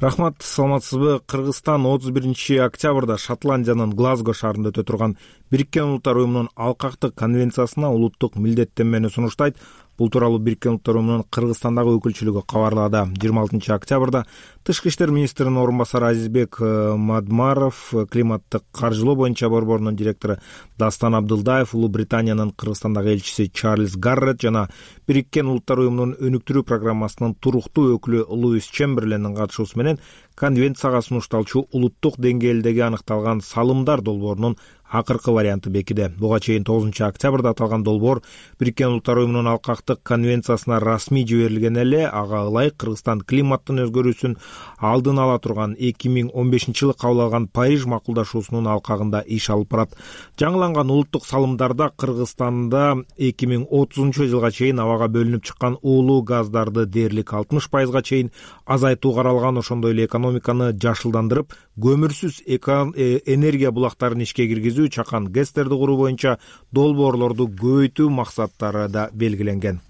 Рахмат, саламатсызбы? Кыргызстан отуз биринчи октябрда Шотландиянын Глазго шаарында өтө турган Бириккен Улуттар уюмунун алкактык конвенциясына улуттук милдеттенмени сунуштайт. Бул тууралуу Бириккен Улуттар уюмунун Кыргызстандагы өкүлчүлүгү кабарлады. жыйырма алтынчы октябрда Тышкы иштер министринин орун басары Азизбек Мадмаров, климаттык каржылоо боюнча борборунун директору Дастан Абдылдаев, Улуу Британиянын Кыргызстандагы элчиси Чарльз Гаррет жана Бириккен Улуттар уюмунун өнүктүрүү программасынын туруктуу өкүлү Луис Чемберлендин катышуусу менен конвенцияга сунушталчу улуттук деңгээлдеги аныкталган салымдар долбоорунун акыркы варианты бекиди. Буга чейин тогузунчу октябрда аталган долбоор Бириккен Улуттар уюмунун алкактык конвенциясына расмий жиберилген эле. Ага ылайык Кыргызстан климаттын өзгөрүүсүн алдын ала турган эки миң он бешинчи жылы кабыл алган Париж макулдашуусунун алкагында иш алып барат. Жаңыланган улуттук салымдарда Кыргызстанда эки миң отузунчу жылга чейин абага бөлүнүп чыккан уулуу газдарды дээрлик алтымыш пайызга чейин азайтуу каралган. Ошондой эле экономиканы жашылдандырып, көмүрсүз энергия булактарын ишке киргизүү, чакан гэстерди куруу боюнча долбоорлорду көбөйтүү максаттары да белгиленген.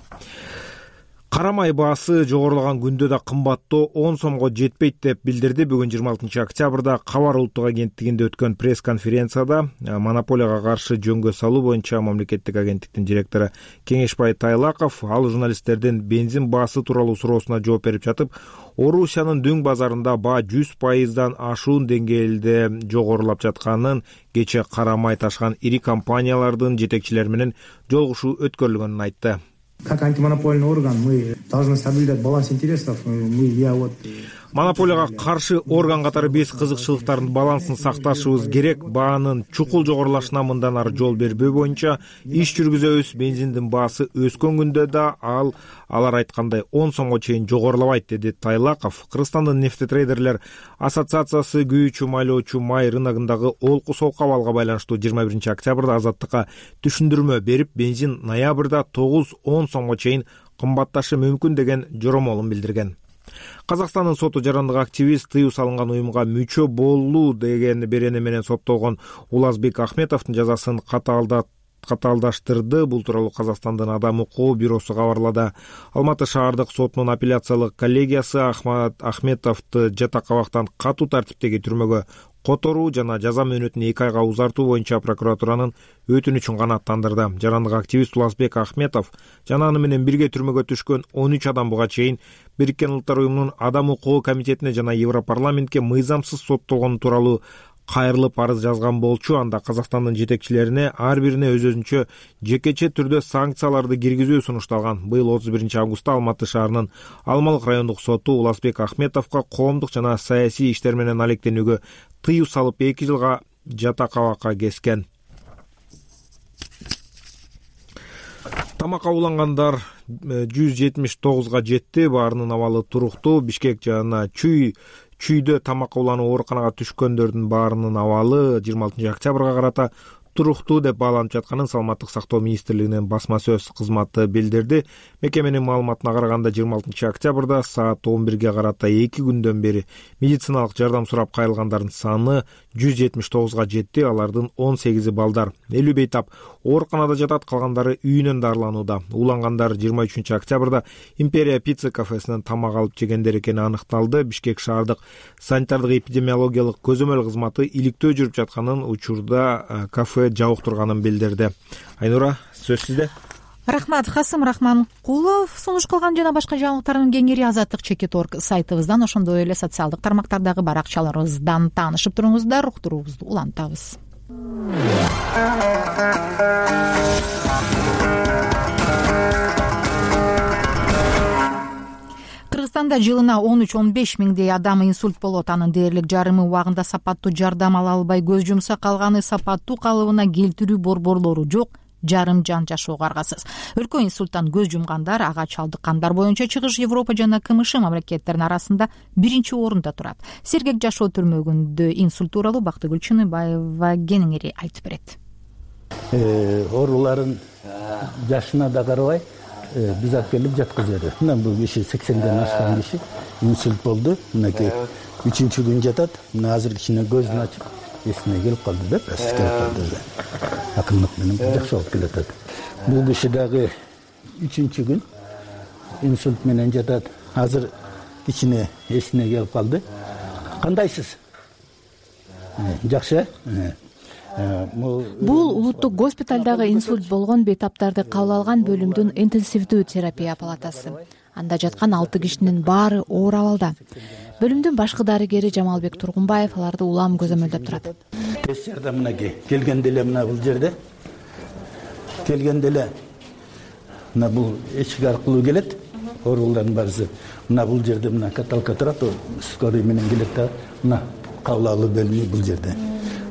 Кара май баасы жогорулаган күндө да кымбаттоо он сомго жетпейт деп билдирди. Бүгүн жыйырма алтынчы октябрда Кабар улуттук агенттигинде өткөн пресс-конференцияда монополияга каршы жөнгө салуу боюнча мамлекеттик агенттиктин директору Кеңешбай Тайлаков ал журналисттердин бензин баасы тууралуу суроосуна жооп берип жатып, Орусиянын дөң базарында баа жүз пайыздан ашуун деңгээлде жогорулап жатканын, кечээ кара май ташыган ири компаниялардын жетекчилери менен жолугушуу өткөрүлгөнүн айтты. Как антимонопольный орган мы должны соблюдать баланс интересов. Мы, я вот... Монополияга каршы орган катары биз кызыкчылыктардын балансын сакташыбыз керек. Баанын чукул жогорулашына мындан ары жол бербөө боюнча иш жүргүзөбүз. Бензиндин баасы өскөн күндө да ал алар айткандай он сомго чейин жогорулабайт, деди Тайлаков. Кыргызстандын нефтетрейдерлер ассоциациясы күйүүчү майлоочу май рыногундагы олку солку абалга байланыштуу жыйырма биринчи октябрда Азаттыкка түшүндүрмө берип, бензин ноябрда тогуз — он сомго чейин кымбатташы мүмкүн деген жоромолун билдирген. Казакстандын соту жарандык активист тыюу салынган уюмга мүчө болуу деген берене менен соттолгон Улазбек Ахметовдун жазасын катаалдатты. катаалдаштырды. Бул тууралуу Казакстандын Адам укугу бюросу кабарлады. Алматы шаардык сотунун апелляциялык коллегиясы Ахмат Ахметовду жатак абактан катуу тартиптеги түрмөгө которуу жана жаза мөөнөтүн эки айга узартуу боюнча прокуратуранын өтүнүчүн канааттандырды. Жарандык активист Уласбек Ахметов жана аны менен бирге түрмөгө түшкөн он үч адам буга чейин Бириккен Улуттар уюмунун Адам укугу комитетине жана Европарламентке мыйзамсыз соттолгону тууралуу кайрылып арыз жазган болчу. Анда Казакстандын жетекчилерине ар бирине өз-өзүнчө жекече түрдө санкцияларды киргизүү сунушталган. Быйыл отуз биринчи августта Алматы шаарынын Алмалык райондук соту Уласбек Ахметовго коомдук жана саясий иштер менен алектенүүгө тыюу салып эки жылга жатак абакка кескен. Тамакка улангандар жүз жетимиш тогузга жетти. Баарынын абалы туруктуу. Бишкек жана Чүй Чүйдө тамакка уланып ооруканага түшкөндөрдүн баарынын абалы жыйырма алтынчы октябрга карата туруктуу деп бааланып жатканын Саламаттык сактоо министрлигинин басма сөз кызматы билдирди. Мекеменин маалыматына караганда жыйырма алтынчы октябрда саат он бирге карата эки күндөн бери медициналык жардам сурап кайрылгандардын саны жүз жетимиш тогузга жетти. Алардын он сегизи балдар. элүү бейтап ооруканада жатат, калгандары үйүнөн дарыланууда. Улангандар жыйырма үчүнчү октябрда Империя пицца кафесинен тамак алып жегендер экени аныкталды. Бишкек шаардык санитардык эпидемиологиялык көзөмөл кызматы иликтөө жүрүп жатканын, учурда кафе жабык турганын билдирди. Айнура, сөз сизде. Рахмат. Касым Рахманкулов сунуш кылган жана башка жаңылыктардын кеңири азаттык чекит орг сайтыбыздан, ошондой эле социалдык тармактардагы баракчаларыбыздан таанышып туруңуздар. Уктуруубузду улантабыз. Кыргызстанда жылына он үч он беш миңдей адам инсульт болот. Анын дээрлик жарымы убагында сапаттуу жардам ала албай көз жумса, калганы сапаттуу калыбына келтирүү борборлору жок, жарым жан жашоого аргасыз. Өлкө инсульттан көз жумгандар, ага чалдыккандар боюнча чыгыш Европа жана КМШ мамлекеттеринин арасында биринчи орунда турат. Сергек жашоо түрмөгүндө инсульт тууралуу Бактыгүл Чыныбаева кеңири айтып берет. Ооруларын жашына да карабай биз алып келип жаткызды. Мына бул киши сексенден ашкан киши инсульт болду. Мынакей үчүнчү күн жатат. Мына азыр кичине көзүн ачып эсине келип калды деп эске келип калды. Акындык менен жакшы болуп келатат. Бул киши дагы үчүнчү күн инсульт менен жатат. Азыр кичине эсине келип калды. Кандайсыз? Жакшы? Бул улуттук госпиталдагы инсульт болгон бейтаптарды кабыл алган бөлүмдүн интенсивдүү терапия палатасы. Анда жаткан алты кишинин баары оор абалда. Бөлүмдүн башкы дарыгери Жамалбек Тургунбаев аларды улам көзөмөлдөп турат. Тез жардамына келгенде эле мына бул жерде келгенде эле мына бул эшик аркылуу келет. Оорулардын баарысы мына бул жерде мына каталка турат, скорый менен келет да мына кабыл алуу бөлүмү бул жерде.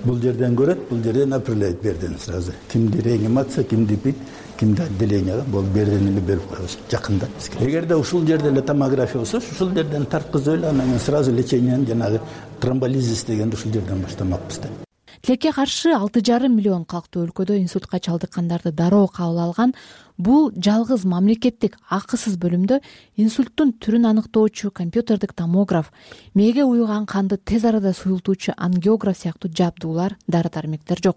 Бул жерден көрөт, бул жерден определять берден сразу. Кимди реанимация, кимди пит, кимди отделенияга бол берден эле берип коебуз жакында. Эгерде ушул жерде эле томография болсо, ушул жерден тарткызып эле анан сразу лечениени жанагы тромболизис дегенди ушул жерден баштамакпыз да. Тилекке каршы алты жарым миллион калктуу өлкөдө инсультка чалдыккандарды дароо кабыл алган бул жалгыз мамлекеттик акысыз бөлүмдө инсульттун түрүн аныктоочу компьютердик томограф, мээге уюган канды тез арада суюлтуучу ангиограф сыяктуу жабдуулар, дары-дармектер жок.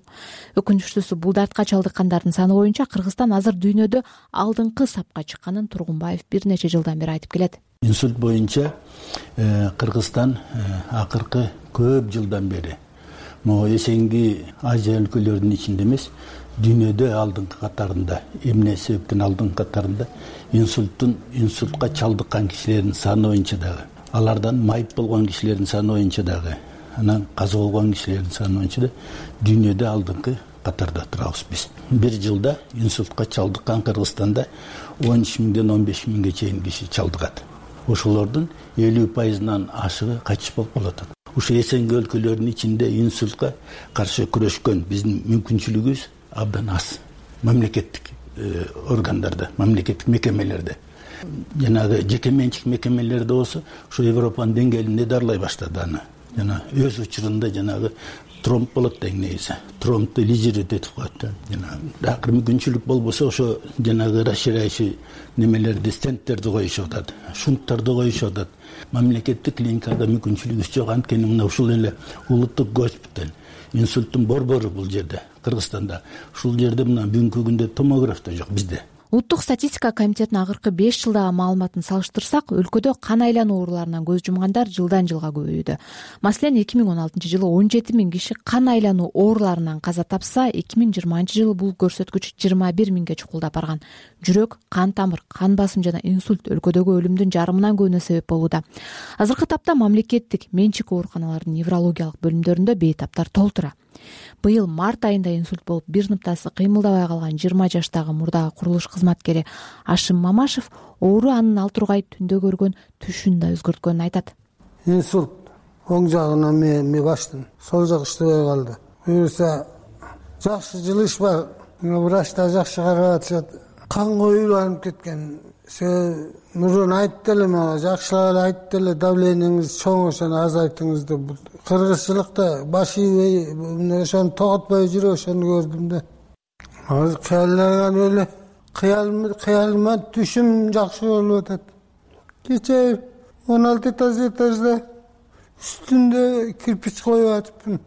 Өкүнүчтүүсү бул дартка чалдыккандардын саны боюнча Кыргызстан азыр дүйнөдө алдыңкы сапка чыкканын Тургунбаев бир нече жылдан бери айтып келет. Инсульт боюнча Кыргызстан акыркы көп жылдан бери могу эсенги Азия өлкөлөрүнүн ичинде эмес, дүйнөдө алдыңкы катарында, эмне себептен алдыңкы катарында инсульттун инсультка чалдыккан кишилердин саны боюнча дагы, алардан майып болгон кишилердин саны боюнча дагы, анан каза болгон кишилердин саны боюнча да дүйнөдө алдыңкы катарда турабыз биз. Бир жылда инсультка чалдыккан Кыргызстанда он үч миңден он беш миңге чейин киши чалдыгат. Ошолордун элүү пайызынан ашыгы кайтыш болуп калат. Ушу эсенги өлкөлөрдүн ичинде инсультка каршы күрөшкөн биздин мүмкүнчүлүгүбүз абдан аз. Мамлекеттик органдарда, мамлекеттик мекемелерде, жанагы жеке менчик мекемелерде болсо, ушу Европанын деңгээлинде дарылай баштады аны. Жана өз учурунда жанагы тромб болот дең негизи. Тромбду лизировать этип коет. Жана акыр мүмкүнчүлүк болбосо ошо жанагы расширяющий немелерди, стенттерди коюшуп атат, шунттарды коюшуп атат. Мамлекеттик клиникада мүмкүнчүлүгүбүз жок, анткени мына ушул эле улуттук госпиталь, инсульттун борбору бул жерде. Кыргызстанда. Ушул жерде мына бүгүнкү күндө томограф да жок бизде. Улуттук статистика комитетинин акыркы беш жылдагы маалыматын салыштырсак, өлкөдө кан айлануу ооруларынан көз жумгандар жылдан жылга көбөйүүдө. Маселен, эки миң он алтынчы жылы он жети миң киши кан айлануу ооруларынан каза тапса, эки миң жыйырманчы жылы бул көрсөткүч жыйырма бир миңге чукулдап барган. Жүрөк, кан тамыр, кан басым жана инсульт өлкөдөгү өлүмдүн жарымынан көбүнө себеп болууда. Азыркы тапта мамлекеттик менчик ооруканалардын неврологиялык бөлүмдөрүндө бейтаптар толтура. Быйыл март айында инсульт болуп, бир ныктасы кыймылдабай калган жыйырма жаштагы мурдагы курулуш кызматкери Ашим Мамашев оору анын ал тургай түндө көргөн түшүн да өзгөрткөнүн айтат. Инсульт оң жагына ме баштым, сол жак иштебей калды. Буюрса жакшы жылыш бар, врачтар жакшы карап атышат. Кан коюланып кеткен. Се мурун айтты эле мага, жакшылап эле айтты эле, давлениеңиз чоң, ошону азайтыңыз деп. Кыргызчылыкта баш ийбей, ошону тоготпой жүрүп ошону көрдүм да. Азыр кыяллаган эле кыялым кыялыма түшүм жакшы болуп атат. Кечээ он алты этажда үстүндө кирпич коюп атыпмын.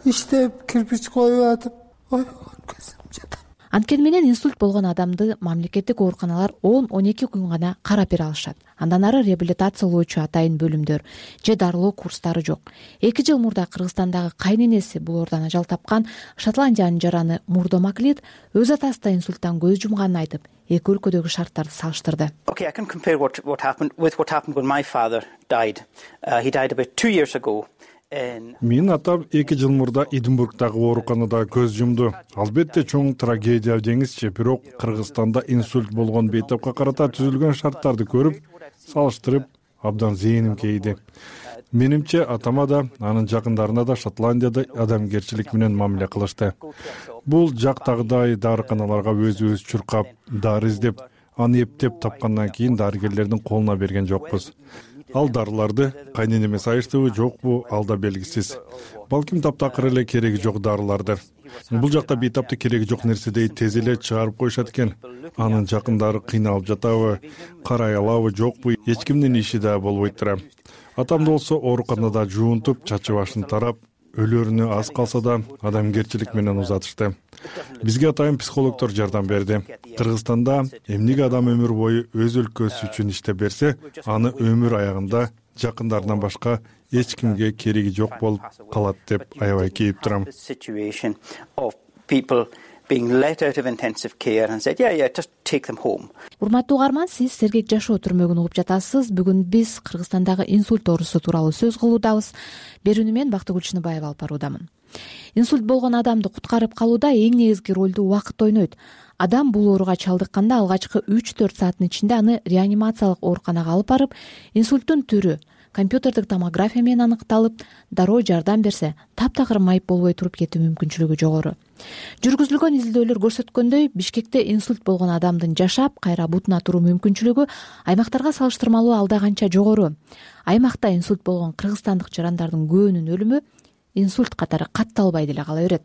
Иштеп кирпич коюп атып, ой, көзүм жатат. Анткени менен инсульт болгон адамды мамлекеттик ооруканалар он он эки күн гана карап бере алышат. Андан ары реабилитациялоочу атайын бөлүмдөр же дарылоо курстары жок. эки жыл мурда Кыргызстандагы кайненеси булордон ажал тапкан Шотландиянын жараны Мурдо Маклид өз атасы да инсульттан көз жумганын айтып, эки өлкөдөгү шарттарды салыштырды. Okay, I can compare what what happened with what happened when my father died. Uh, he died about two years ago. Менин атам эки жыл мурда Эдинбургдагы ооруканада көз жумду. Албетте чоң трагедия деңизчи, бирок Кыргызстанда инсульт болгон бейтапка карата түзүлгөн шарттарды көрүп, салыштырып, абдан зээним кейди. Менимче атама да, анын жакындарына да Шотландияда адамгерчилик менен мамиле кылышты. Бул жактагыдай дарыканаларга өзүбүз чуркап, дары издеп, аны эптеп тапкандан кийин дарыгерлердин колуна берген жокпуз. Ал дарыларды кайненеме сайыштыбы жокпу, ал да белгисиз. Балким таптакыр эле кереги жок дарылардыр. Бул жакта бейтапты кереги жок нерседей тез эле чыгарып коюшат экен. Анын жакындары кыйналып жатабы, карай алабы жокпу, эч кимдин иши да болбойт тура. Атам болсо ооруканада жуунтуп, чачы башын тарап, өлөрүнө аз калса да адамгерчилик менен узатышты. Бизге атайын психологдор жардам берди. Кыргызстанда эмнеге адам өмүр бою өз өлкөсү үчүн иштеп берсе, аны өмүр аягында жакындарынан башка эч кимге кереги жок болуп калат деп аябай кейип турам. Being let out of intensive care and said, yeah, yeah, just take them home. Урматтуу угарман, сиз Сергек жашоо түрмөгүн угуп жатасыз. Бүгүн биз Кыргызстандагы инсульт оорусу тууралуу сөз кылуудабыз. Берүүнү мен Бактыгүл Чыныбаева алып баруудамын. Инсульт болгон адамды куткарып калууда эң негизги ролду убакыт ойнойт. Адам бул ооруга чалдыкканда алгачкы үч төрт сааттын ичинде аны реанимациялык ооруканага алып барып, инсульттун түрү компьютердик томография менен аныкталып, дароо жардам берсе, таптакыр майып болбой туруп кетүү мүмкүнчүлүгү жогору. Жүргүзүлгөн изилдөөлөр көрсөткөндөй, Бишкекте инсульт болгон адамдын жашап, кайра бутуна туруу мүмкүнчүлүгү аймактарга салыштырмалуу алда канча жогору. Аймакта инсульт болгон кыргызстандык жарандардын көбүнүн өлүмү инсульт катары катталбай деле кала берет.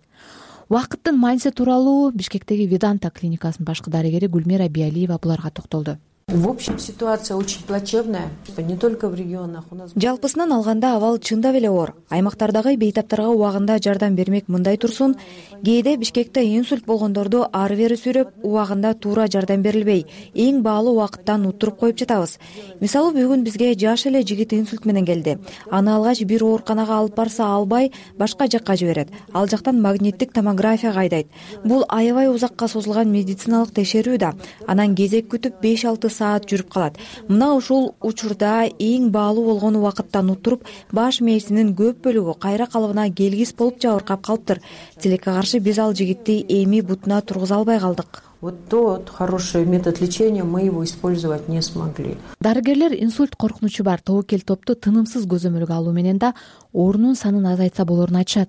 Убакыттын мааниси тууралуу Бишкектеги Веданта клиникасынын башкы дарыгери Гүлмира Биалиева буларга токтолду. В общем, ситуация очень плачевная, не только в регионах. У нас... Жалпысынан алганда абал чындап эле оор. Аймактардагы бейтаптарга убагында жардам бермек мындай турсун, кээде Бишкекте инсульт болгондорду ары бери сүйрөп, убагында туура жардам берилбей, эң баалуу убакыттан уттуруп коюп жатабыз. Мисалы, бүгүн бизге жаш эле жигит инсульт менен келди. Аны алгач бир ооруканага алып барса албай, башка жакка жиберет. Ал жактан магниттик томографияга айдайт. Бул аябай узакка созулган медициналык текшерүү да. Анан кезек күтүп беш алты саат жүрүп калат. Мына ушул учурда эң баалуу болгон убакыттан уттуруп, баш мээсинин көп бөлүгү кайра калыбына келгис болуп жабыркап калыптыр. Тилекке каршы биз ал жигитти эми бутуна тургуза албай калдык. Вот тот хороший метод лечения, мы его использовать не смогли. Дарыгерлер инсульт коркунучу бар тобокел топту тынымсыз көзөмөлгө алуу менен да оорунун санын азайтса болорун айтышат.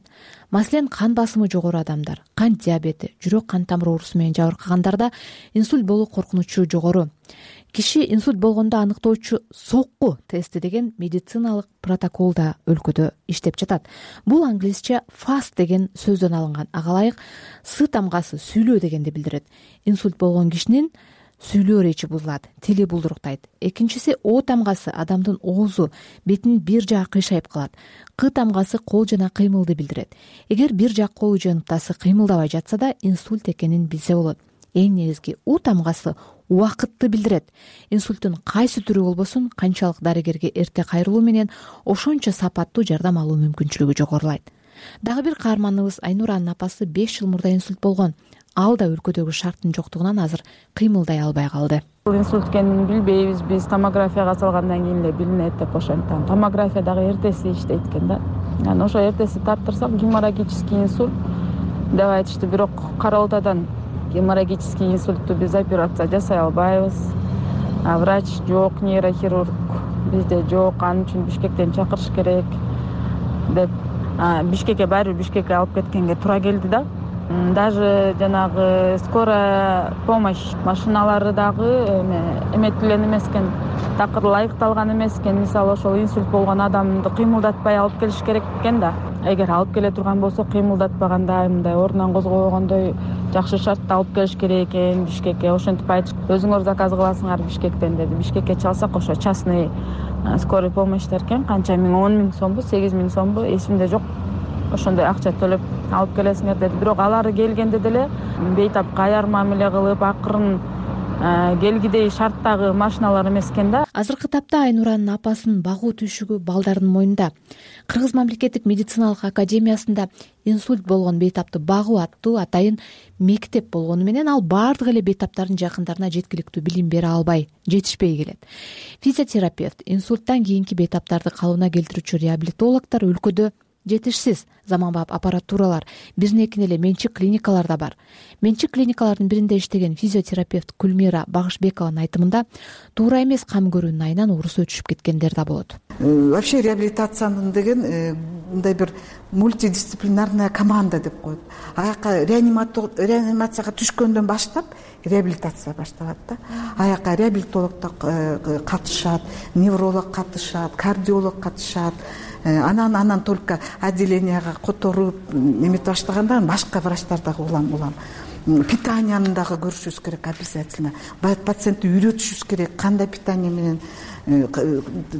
Маселен, кан басымы жогору адамдар, кант диабети, жүрөк кан тамыр оорусу менен жабыркагандарда инсульт болуу коркунучу жогору. Киши инсульт болгондо аныктоочу сокку тести деген медициналык протокол да өлкөдө иштеп жатат. Бул англисче fast деген сөздөн алынган. Ага ылайык С тамгасы сүйлөө дегенди билдирет. Инсульт болгон кишинин сүйлөө речи бузулат, тили булдуруктайт. Экинчиси о тамгасы адамдын оозу, бетинин бир жагы кыйшайып калат. К тамгасы кол жана кыймылды билдирет. Эгер бир жак колу же ынтасы кыймылдабай жатса да инсульт экенин билсе болот. Эң негизги у тамгасы убакытты билдирет. Инсульттун кайсы түрү болбосун канчалык дарыгерге эрте кайрылуу менен ошончо сапаттуу жардам алуу мүмкүнчүлүгү жогорулайт. Дагы бир каарманыбыз Айнуранын апасы беш жыл мурда инсульт болгон. Ал да өлкөдөгү шарттын жоктугунан азыр кыймылдай албай калды. Бул инсульт экенин билбейбиз, биз томографияга салгандан кийин эле билинет деп ошентип. Томография дагы эртеси иштейт экен да. Анан ошо эртеси тарттырсак геморрагический инсульт деп айтышты, бирок кара ортадан геморрагический инсультту биз операция жасай албайбыз. А врач жок, нейрохирург бизде жок, анын үчүн Бишкектен чакырыш керек деп Бишкекке баары Бишкекке алып кеткенге туура келди да. Даже жанагы скорая помощь машиналары дагы эметилген эмес экен, такыр ылайыкталган эмес экен. Мисалы ошол инсульт болгон адамды кыймылдатпай алып келиш керек экен да. Эгер алып келе турган болсо кыймылдатпаганда мындай ордунан козгобогондой жакшы шартта алып келиш керек экен Бишкекке. Ошентип айтышып, өзүңөр заказ кыласыңар Бишкектен деди. Бишкекке чалсак ошо частный скорый помощьтер экен, канча миң, он миң сомбу, сегиз миң сомбу, эсимде жок. Ошондой акча төлөп алып келесиңер деди. Бирок алары келгенде деле бейтапка аяр мамиле кылып, акырын келгидей шарттагы машиналар эмес экен да. Азыркы тапта Айнуранын апасынын багуу түйшүгү балдардын мойнунда. Кыргыз мамлекеттик медициналык академиясында инсульт болгон бейтапты багуу аттуу атайын мектеп болгону менен ал баардык эле бейтаптардын жакындарына жеткиликтүү билим бере албай, жетишпей келет. Физиотерапевт, инсульттан кийинки бейтаптарды калыбына келтирүүчү реабилитологдор өлкөдө жетишсиз. Заманбап аппаратуралар, биринекин эле менчик клиникалар да бар. Менчик клиникалардын биринде иштеген физиотерапевт Гүлмира Багышбекованын айтымында туура эмес кам көрүүнүн айынан оорусу өчүшүп кеткендер да болот. Вообще реабилитациянын деген мындай бир мультидисциплинарная команда деп коет. Аяка реанимацияга түшкөндөн баштап реабилитация башталат да. Аяка реабилитологдор катышат, невролог катышат, кардиолог катышат. Анан анан только отделенияга которуп эметип баштаганда башка врачтар дагы улам улам питанияны дагы көрүшүбүз керек обязательно. Пациентти үйрөтүшүбүз керек, кандай питание менен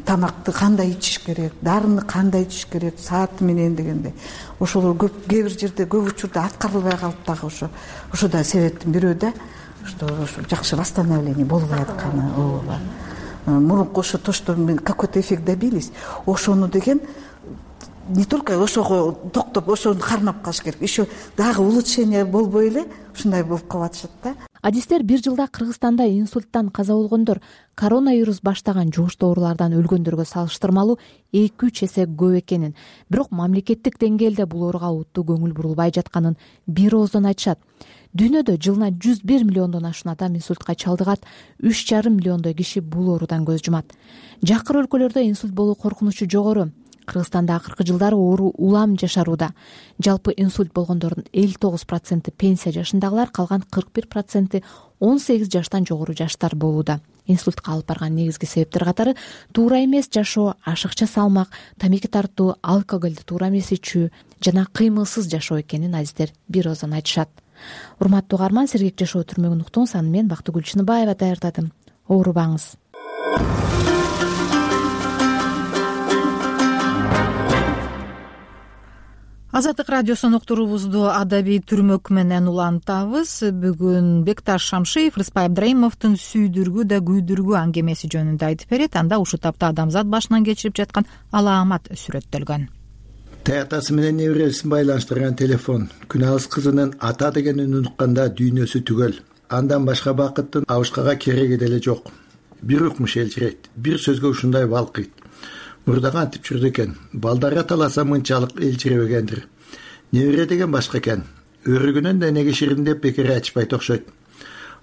тамакты кандай ичиш керек, дарыны кандай ичиш керек, сааты менен дегенде. Ошол көп кээ бир жерде көп учурда аткарылбай калып дагы ошо ошо да себептин бирөө да, что жакшы восстановление болбой атканы. Ооба. Мурунку ошо то, что мы какой-то эффект добились, ошону деген не только ошого токтоп ошону кармап калыш керек, еще дагы улучшение болбой эле ушундай болуп калатышат да. Адистер бир жылда Кыргызстанда инсульттан каза болгондор коронавирус баштаган жугуштуу оорулардан өлгөндөргө салыштырмалуу эки үч эсе көп экенин, бирок мамлекеттик деңгээлде бул ооруга уттуу көңүл бурулбай жатканын бир ооздон айтышат. Дүйнөдө жылына жүз бир миллиондон ашуун адам инсультка чалдыгат, үч жарым миллиондой киши бул оорудан көз жумат. Жакыр өлкөлөрдө инсульт болуу коркунучу жогору. Кыргызстанда акыркы жылдары оору улам жашарууда. Жалпы инсульт болгондордун элүү тогуз проценти пенсия жашындагылар, калган кырк бир проценти он сегиз жаштан жогору жаштар болууда. Инсультка алып барган негизги себептер катары туура эмес жашоо, ашыкча салмак, тамеки тартуу, алкоголду туура эмес ичүү жана кыймылсыз жашоо экенин адистер бир ооздон айтышат. Урматтуу угарман, сергек жашоо түрмөгүн уктуңуз. Аны мен Бактыгүл Чыныбаева даярдадым. Оорубаңыз. Азаттык радиосунун уктуруубузду адабий түрмөк менен улантабыз. Бүгүн Бекташ Шамшиев Рыспай Абдрайымовдун сүйдүргү да күйдүргү аңгемеси жөнүндө айтып берет. Анда ушул тапта адамзат башынан кечирип жаткан алаамат сүрөттөлгөн. Таятасы менен небересин байланыштырган телефон күнөөс кызынын ата дегенин унутканда дүйнөсү түгөл. Андан башка бакыттын абышкага кереги деле жок. Бир укмуш элчирейт, бир сөзгө ушундай балкыйт. Мурдагы антип жүрдү экен. Балдары таласа мынчалык элчиребегендир. Небере деген башка экен. Өрүгүнөн да неге ширин деп бекер айтышпайт окшойт.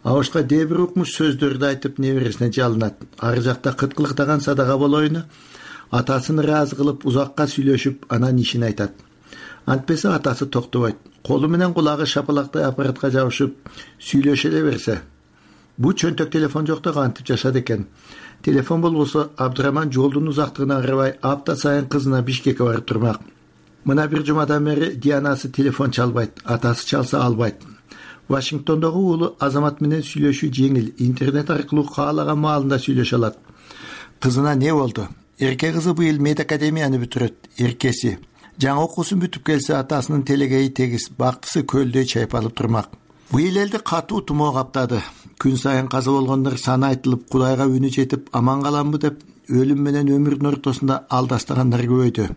Абышка дээ бир укмуш сөздөрдү айтып небересине жалынат. Ары жакта кыткылыктаган садага болоюну атасын ыраазы кылып узакка сүйлөшүп анан ишин айтат. Антпесе атасы токтобойт. Колу менен кулагы шапалактай аппаратка жабышып сүйлөшө эле берсе. Бу чөнтөк телефон жокто кантип жашады экен. Телефон болбосо Абдрайман жолдун узактыгына карабай апта сайын кызына Бишкекке барып турмак. Мына бир жумадан бери Дианасы телефон чалбайт, атасы чалса албайт. Вашингтондогу уулу Азамат менен сүйлөшүү жеңил, интернет аркылуу каалаган маалында сүйлөшө алат. Кызына не болду? Эрке кызы быйыл медакадемияны бүтүрөт. Эркеси жаңы окуусун бүтүп келсе, атасынын телегейи тегиз, бактысы көлдөй чайпалып турмак. Быйыл элди катуу тумоо каптады. Күн сайын каза болгондор саны айтылып, Кудайга үнү жетип, аман каламбы деп өлүм менен өмүрдүн ортосунда алдастагандар көбөйдү.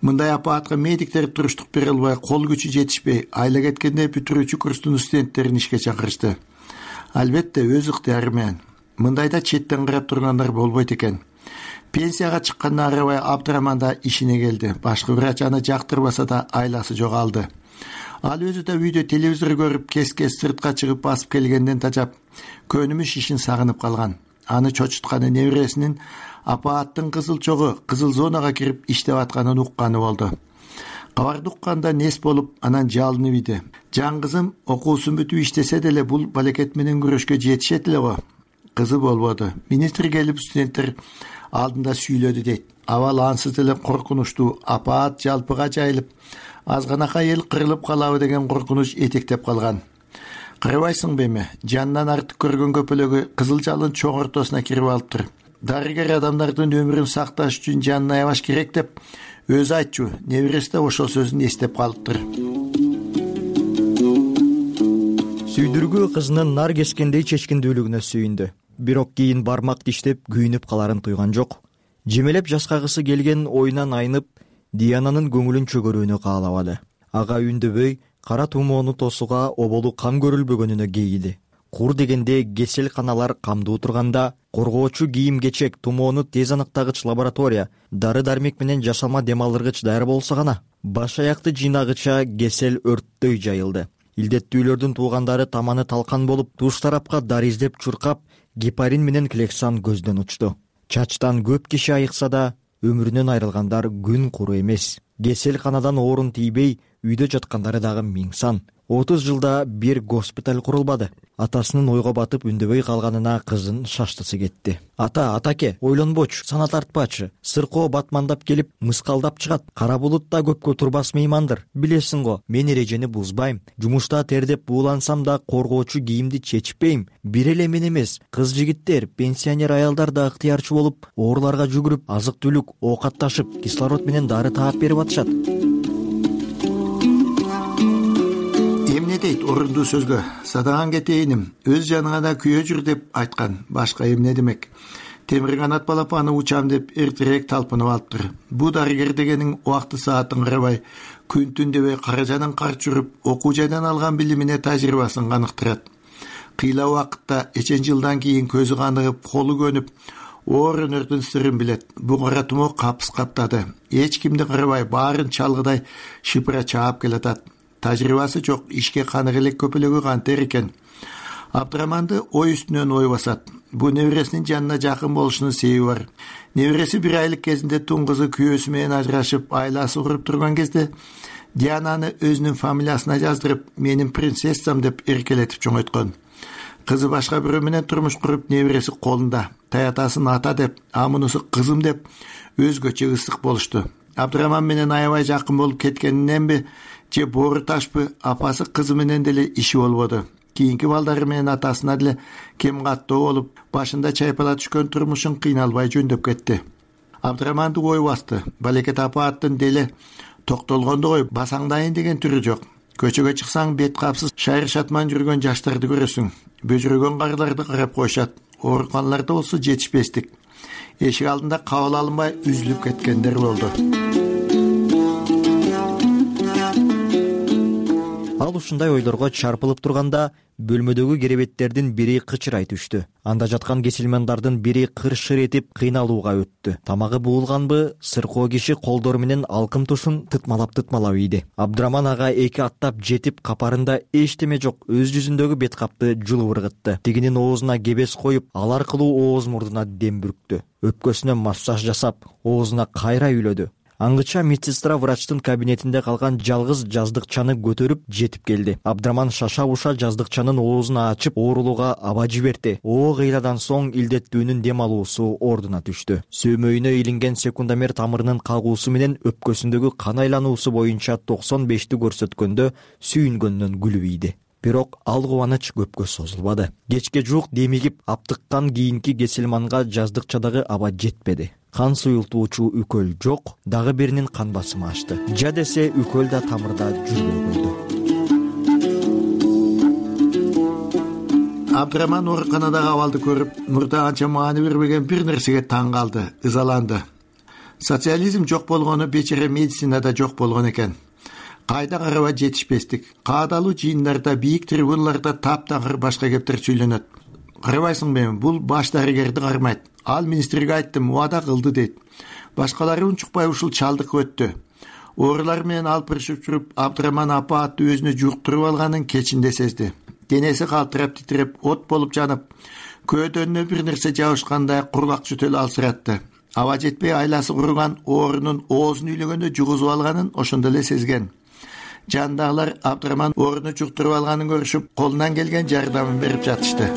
Мындай апаатка медиктер туруштук бере албай, кол күчү жетишпей, айла кеткенде бүтүрүүчү курстун студенттерин ишке чакырышты. Албетте өз ыктыяры менен. Мындайда четтен карап тургандар болбойт экен. Пенсияга чыккандан арабай Абдыраман да ишине келди. Башкы врач аны жактырбаса да айласы жоголду. Ал өзү да үйдө телевизор көрүп, кес-кес сыртка чыгып басып келгенден тажап, көнүмүш ишин сагынып калган. Аны чочутканы небересинин апааттын кызыл чогу кызыл зонага кирип иштеп атканын укканы болду. Кабарды укканда нес болуп, анан жалынып иди. Жан кызым окуусун бүтүп иштесе деле бул балекет менен күрөшкө жетишет эле го. Кызы болбоду. Министр келип студенттер алдында сүйлөдү дейт. Абал ансыз эле коркунучтуу, апаат жалпыга жайылып, азганака эл кырылып калабы деген коркунуч этектеп калган. Карабайсыңбы эми, жанынан артык көргөн көпөлөгү кызыл жалын чоң ортосуна кирип алыптыр. Дарыгер адамдардын өмүрүн сакташ үчүн жанын аябаш керек деп өзү айтчу. Небереси да ошол сөзүн эстеп калыптыр. Сүйдүргү кызынын нар кескендей чечкиндүүлүгүнө сүйүндү. Бирок кийин бармак диштеп күйүнүп каларын туйган жок. Жемелеп жаскагысы келген оюнан айнып, Диананын көңүлүн чөгөрүүнү каалабады. Ага үндөбөй, кара тумоону тосууга оболу кам көрүлбөгөнүнө кейиди. Кур дегенде кесел каналар камдуу турганда, коргоочу кийим-кечек, тумоону тез аныктагыч лаборатория, дары-дармек менен жасалма дем алыргыч даяр болсо гана, баш аякты жыйнагыча кесел өрттөй жайылды. Илдеттүүлөрдүн туугандары таманы талкан болуп, туш тарапка дары издеп чуркап, гепарин менен клексан көздөн учту. Чачтан көп киши айыкса да, өмүрүнөн айрылгандар күн куру эмес. Кесел канадан оорун тийбей, үйдө жаткандары дагы миң сан. отуз жылда бир госпиталь курулбады. Атасынын ойго батып үндөбөй калганына кызын шаштысы кетти. Ата, атаке, ойлонбочу, сана тартпачы. Сыркоо батмандап келип, мыскалдап чыгат. Кара булут да көпкө турбас меймандыр. Билесиң го, мен эрежени бузбайм. Жумушта тердеп буулансам да коргоочу кийимди чечпейм. Бир эле мен эмес, кыз жигиттер, пенсионер аялдар да ыктыярчы болуп, ооруларга жүгүрүп, азык-түлүк, оокатташып, кислород менен дары таап берип атышат. Эмне дейт орундуу сөзгө? Садаган кетейиним, өз жаныңа да күйө жүр деп айткан. Башка эмне демек? Темир канат балапаны учам деп эртерээк талпынып алыптыр. Бу дарыгер дегенин убакты саатын карабай, күн түн дебей кара жанын карт жүрүп, окуу жайдан алган билимине тажрыйбасын каныктырат. Кыйла убакытта эчен жылдан кийин көзү каныгып, колу көнүп, оор өнөрдүн сырын билет. Бу кара тумоо капыс каптады. Эч кимди карабай, баарын чалгыдай шыпыра чаап келатат. Тажрыйбасы жок, ишке канык элек көпөлөгү кантер экен. Абдыраманды ой үстүнөн ой басат. Бу небересинин жанына жакын болушунун себеби бар. Небереси бир айлык кезинде тун кызы күйөөсү менен ажырашып, айласы куруп турган кезде Диананы өзүнүн фамилиясына жаздырып, менин принцессам деп эркелетип чоңойткон. Кызы башка бирөө менен турмуш куруп, небереси колунда. Таятасын ата деп, а мунусу кызым деп өзгөчө ысык болушту. Абдыраман менен аябай жакын болуп кеткениненби, же боору ташпы, апасы кызы менен деле иши болбоду. Кийинки балдары менен атасына деле кем каттоо болуп, башында чайпала түшкөн турмушун кыйналбай жөндөп кетти. Абдыраманды ой басты. Балекет апааттын деле токтолгондо ой басаңдайын деген түрү жок. Көчөгө чыксаң бет капсыз шайыр шатман жүргөн жаштарды көрөсүң. Бөжүрөгөн карларды карап коюшат. Ооруканаларда болсо жетишпестик. Эшик алдында кабыл алынбай үзүлүп кеткендер болду. Ал ушундай ойлорго чарпылып турганда, бөлмөдөгү керебеттердин бири кычырай түштү. Анда жаткан кесилмандардын бири кыр-шыр этип кыйналууга өттү. Тамагы буулганбы, сыркоо киши колдору менен алкым тушун тытмалап-тытмалап ийди. Абдыраман ага эки аттап жетип, капарында эчтеме жок, өз жүзүндөгү бет капты жулуп ыргытты. Тигинин оозуна кебес коюп, ал аркылуу ооз мурдуна дем бүрктү. Өпкөсүнө массаж жасап, оозуна кайра үйлөдү. Аңгыча медсестра врачтын кабинетинде калган жалгыз жаздыкчаны көтөрүп жетип келди. Абдыраман шаша-буша жаздыкчанын оозун ачып, оорулууга аба жиберди. О кыйладан соң илдеттүүнүн дем алуусу ордуна түштү. Сөөмөйүнө илинген секундомер тамырынын кагуусу менен өпкөсүндөгү кан айлануусу боюнча токсон бешти көрсөткөндө сүйүнгөндөн күлүп ийди. бирок ал кубаныч көпкө созулбады. Кечке жуук демигип аптыккан кийинки Кесилманга жаздыкчадагы аба жетпеди. Кан суюлтуучу үкөл жок, дагы биринин кан басымы ашты. Жа десе үкөл да тамырда жүрбөй койду. Абдыраман ооруканадагы абалды көрүп, мурда анча маани бербеген бир нерсеге таң калды, ызаланды. Социализм жок болгону бечере медицинада жок болгон экен. Кайда караба жетишпестик. Каадалуу жыйындарда, бийик трибуналарда таптаңыр башка кептер сүйлөнөт. Карабайсыңбы, бул баш дарыгерди кармайт. Ал министрге айттым, убада кылды дейт. Башкалары унчукпай ушул чалдык өттү. Оорулар менен алпырышып туруп, Абдыраман апаатты өзүнө жуктуруп алганын кечинде сезди. Денеси калтырап титиреп, от болуп жанып, көөдөнүнө бир нерсе жабышкандай курлак жөтөл алсыратты. Аба жетпей айласы куруган оорунун оозун үйлөгөндө жугузуп алганын ошондо эле сезген. Жандагылар Абдыраман ооруну жуктуруп алганын көрүшүп, колунан келген жардамын берип жатышты.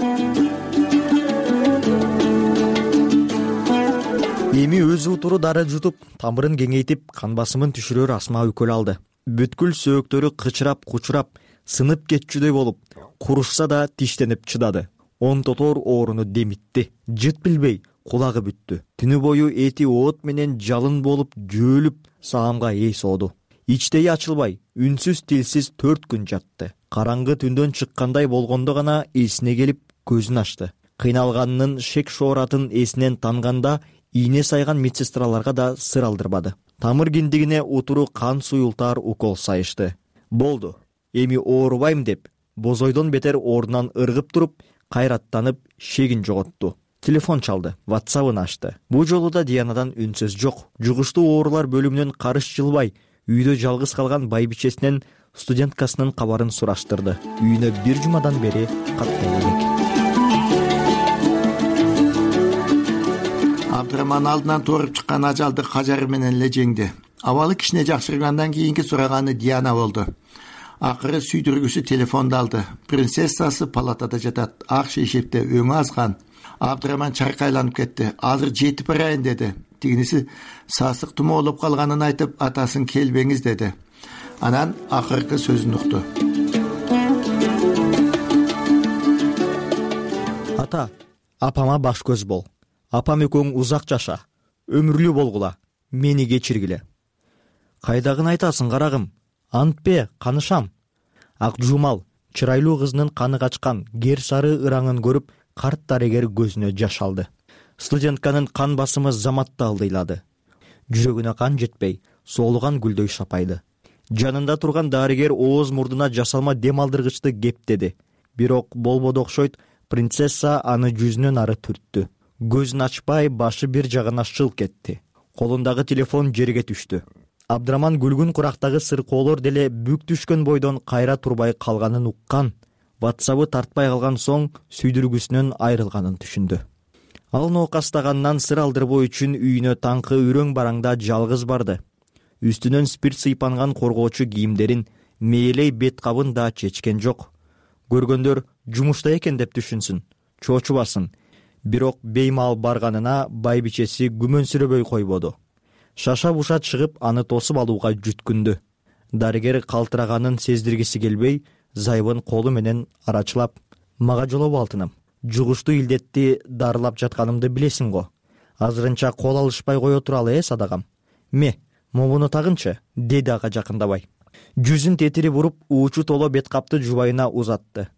Эми өзү утуру дары жутуп, тамырын кеңейтип, кан басымын түшүрөр асма үкөл алды. Бүткүл сөөктөрү кычырап, кучурап, сынып кетчүдөй болуп, курушса да тиштенип чыдады. Он тотор ооруну демитти. Жыт билбей, кулагы бүттү. Түнү бою эти от менен жалын болуп, жөөлүп, саамга эй сооду. Ичтеги ачылбай, үнсүз тилсиз төрт күн жатты. Караңгы түндөн чыккандай болгондо гана эсине келип, көзүн ачты. Кыйналганынын шек шооратын эсинен танганда, ийне сайган медсестраларга да сыр алдырбады. Тамыр киндигине утуру кан суюлтар укол сайышты. Болду. Эми оорубайм деп, бозойдон бетер ордунан ыргып туруп, кайраттанып, шегин жоготту. Телефон чалды, WhatsApp'ын ачты. Бул жолу да Дианадан үнсөз жок. Жугуштуу оорулар бөлүмүнөн карыш жылбай, үйдө жалгыз калган байбичесинен студенткасынын кабарын сураштырды. Үйүнө бир жумадан бери катпай элек. Абдыраман алдынан торып чыккан ажалды кажары менен эле жеңди. Абалы кичине жакшыргандан кийинки сураганы Диана болду. Акыры сүйдүргүсү телефонду алды. Принцессасы палатада жатат. Ак шейшепте өңү азган. Абдыраман чайкайланып кетти. Азыр жетип барайын деди. Тигиниси сасык тумоолоп калганын айтып, атасын келбеңиз деди. Анан акыркы сөзүн укту. Ата, апама баш көз бол. Апам экөөң узак жаша. Өмүрлүү болгула. Мени кечиргиле. Кайдагын айтасың, карагым? Антпе, канышам. Ак жумал, чырайлуу кызынын каны качкан, кер сары ыраңын көрүп, карт дарыгер көзүнө жаш алды. Студентканын кан басымы заматта алдыйлады. Жүрөгүнө кан жетпей, соолуган гүлдөй шапайды. Жанында турган дарыгер ооз мурдуна жасалма дем алдыргычты кептеди. Бирок болбоду окшойт, принцесса аны жүзүнөн ары түрттү. Көзүн ачпай, башы бир жагына шылк кетти. Колундагы телефон жерге түштү. Абдыраман күлгүн курактагы сыркоолор деле бүк түшкөн бойдон кайра турбай калганын уккан. WhatsApp'ы тартпай калган соң сүйдүргүсүнөн айрылганын түшүндү. Ал ноокастагандан сыр алдырбоо үчүн үйүнө таңкы үрөң бараңда жалгыз барды. Үстүнөн спирт сыйпанган коргоочу кийимдерин, мээлей бет кабын да чечкен жок. Көргөндөр жумушта экен деп түшүнсүн, чочубасын. Бирок беймал барганына байбичеси күмөнсүрөбөй койбоду. Шаша буша чыгып, аны тосуп алууга жүткүндү. Дарыгер калтыраганын сездиргиси келбей, зайыбын колу менен арачылап, мага жолобо алтыным. Жугуштуу илдетти дарылап жатканымды билесиң го. Азырынча кол алышпай кое туралы э садагам. Ме, момуну тагынчы, деди ага жакындабай. Жүзүн тетирип уруп, уучу толо бет капты жубайына узатты.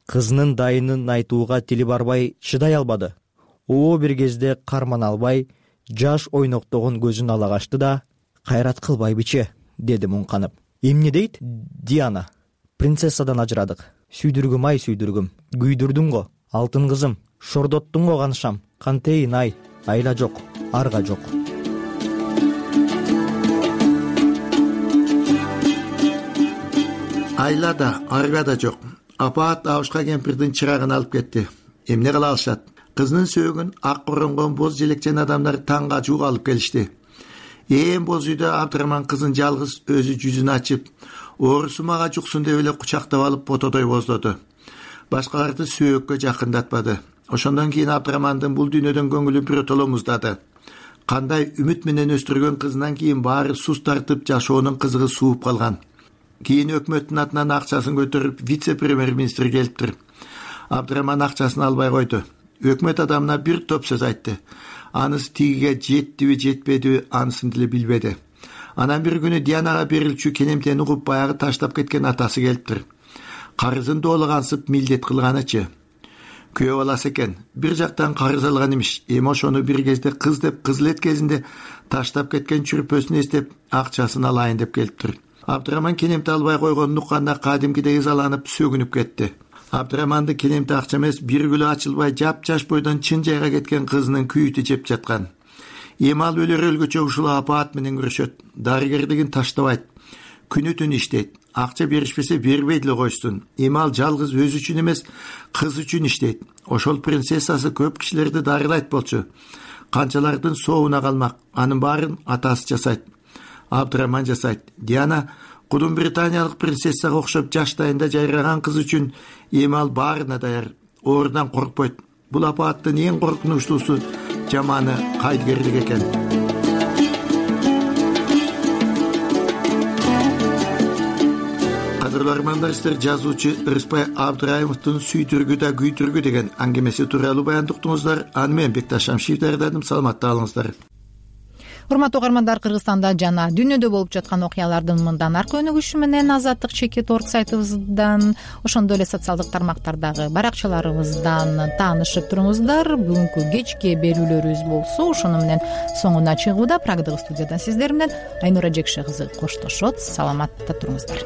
Кызынын дайынын айтууга тили барбай чыдай албады. Оо бир кезде кармана албай, жаш ойноктогон көзүн ала качты да, кайрат кыл байбиче, деди муңканып. Эмне дейт? Диана. Принцессадан ажырадык. Сүйдүргүм ай сүйдүргүм. Күйдүрдүң го. Алтын кызым. Шордоттуң го канышам. Кантейин ай. Айла жок. Арга жок. Айла да, арга да жок. Апаат Абышка кемпирдин чырагын алып кетти. Эмне кыла алышат? Кызынын сөөгүн ак коронгон боз желекчен адамдар таңга жууп алып келишти. Ээн боз үйдө Абдыраман кызын жалгыз өзү жүзүн ачып, оорусу мага жуксун деп эле кучактап алып ботодой боздоду. Башкаларды сөөккө жакындатпады. Ошондон кийин Абдырамандын бул дүйнөдөн көңүлү биротоло муздады. Кандай үмүт менен өстүргөн кызынан кийин баары суз тартып, жашоонун кызыгы сууп калган. кийин өкмөттүн атынан акчасын көтөрүп вице премьер министр келиптир. Абдрахман акчасын албай койду. Өкмөт адамына бир топ сөз айтты. Анысы тигиге жеттиби жетпедиби анысын деле билбеди. Анан бир күнү Дианага берилчү келемтени угуп баягы таштап кеткен атасы келиптир. Карызын доологансып милдет кылганычы. Күйөө баласы экен. Бир жактан карыз алган имиш. Эми ошону бир кезде кыз деп кызылет кезинде таштап кеткен чүрпөсүн эстеп акчасын алайын деп келиптир. Абдрахман келемти албай койгонун укканда кадимкидей ызаланып сөгүнүп кетти. Абдрахманды келемти акча эмес, бир гүлү ачылбай жап-жаш бойдон чын жайга кеткен кызынын күйүтү жеп жаткан. Эми ал өлөр өлгөчө ушул апаат менен күрөшөт. Дарыгердигин таштабайт. Күнү түн иштейт. Акча беришпесе бербей деле койсун. Эми ал жалгыз өзү үчүн эмес, кыз үчүн иштейт. Ошол принцессасы көп кишилерди дарылайт болчу. Канчалардын соовуна калмак. Анын баарын атасы жасайт. Абдрахман жасайт. Диана Кудум британиялык принцессага окшоп жаштайында жайраган кыз үчүн эми ал баарына даяр. Оорунан коркпойт. Бул апааттын эң коркунучтуусу жаманы кайдыгерлик экен. Кадырлуу армандаштар, жазуучу Рыспай Абдрайымовдун Сүйдүргү да күйдүргү деген аңгемеси тууралуу баяндуктуңуздар. Аны мен Бекташ Шамшиев даярдадым. Саламатта калыңыздар. Урматтуу угармандар, Кыргызстанда жана дүйнөдө болуп жаткан окуялардын мындан аркы өнүгүшү менен Азаттык чекит орг сайтыбыздан, ошондой эле социалдык тармактардагы баракчаларыбыздан таанышып туруңуздар. Бүгүнкү кечки берүүлөрүбүз болсо ошону менен соңуна чыгууда. Прагдагы студиядан сиздер менен Айнура Жекше кызы коштошот. Саламатта туруңуздар.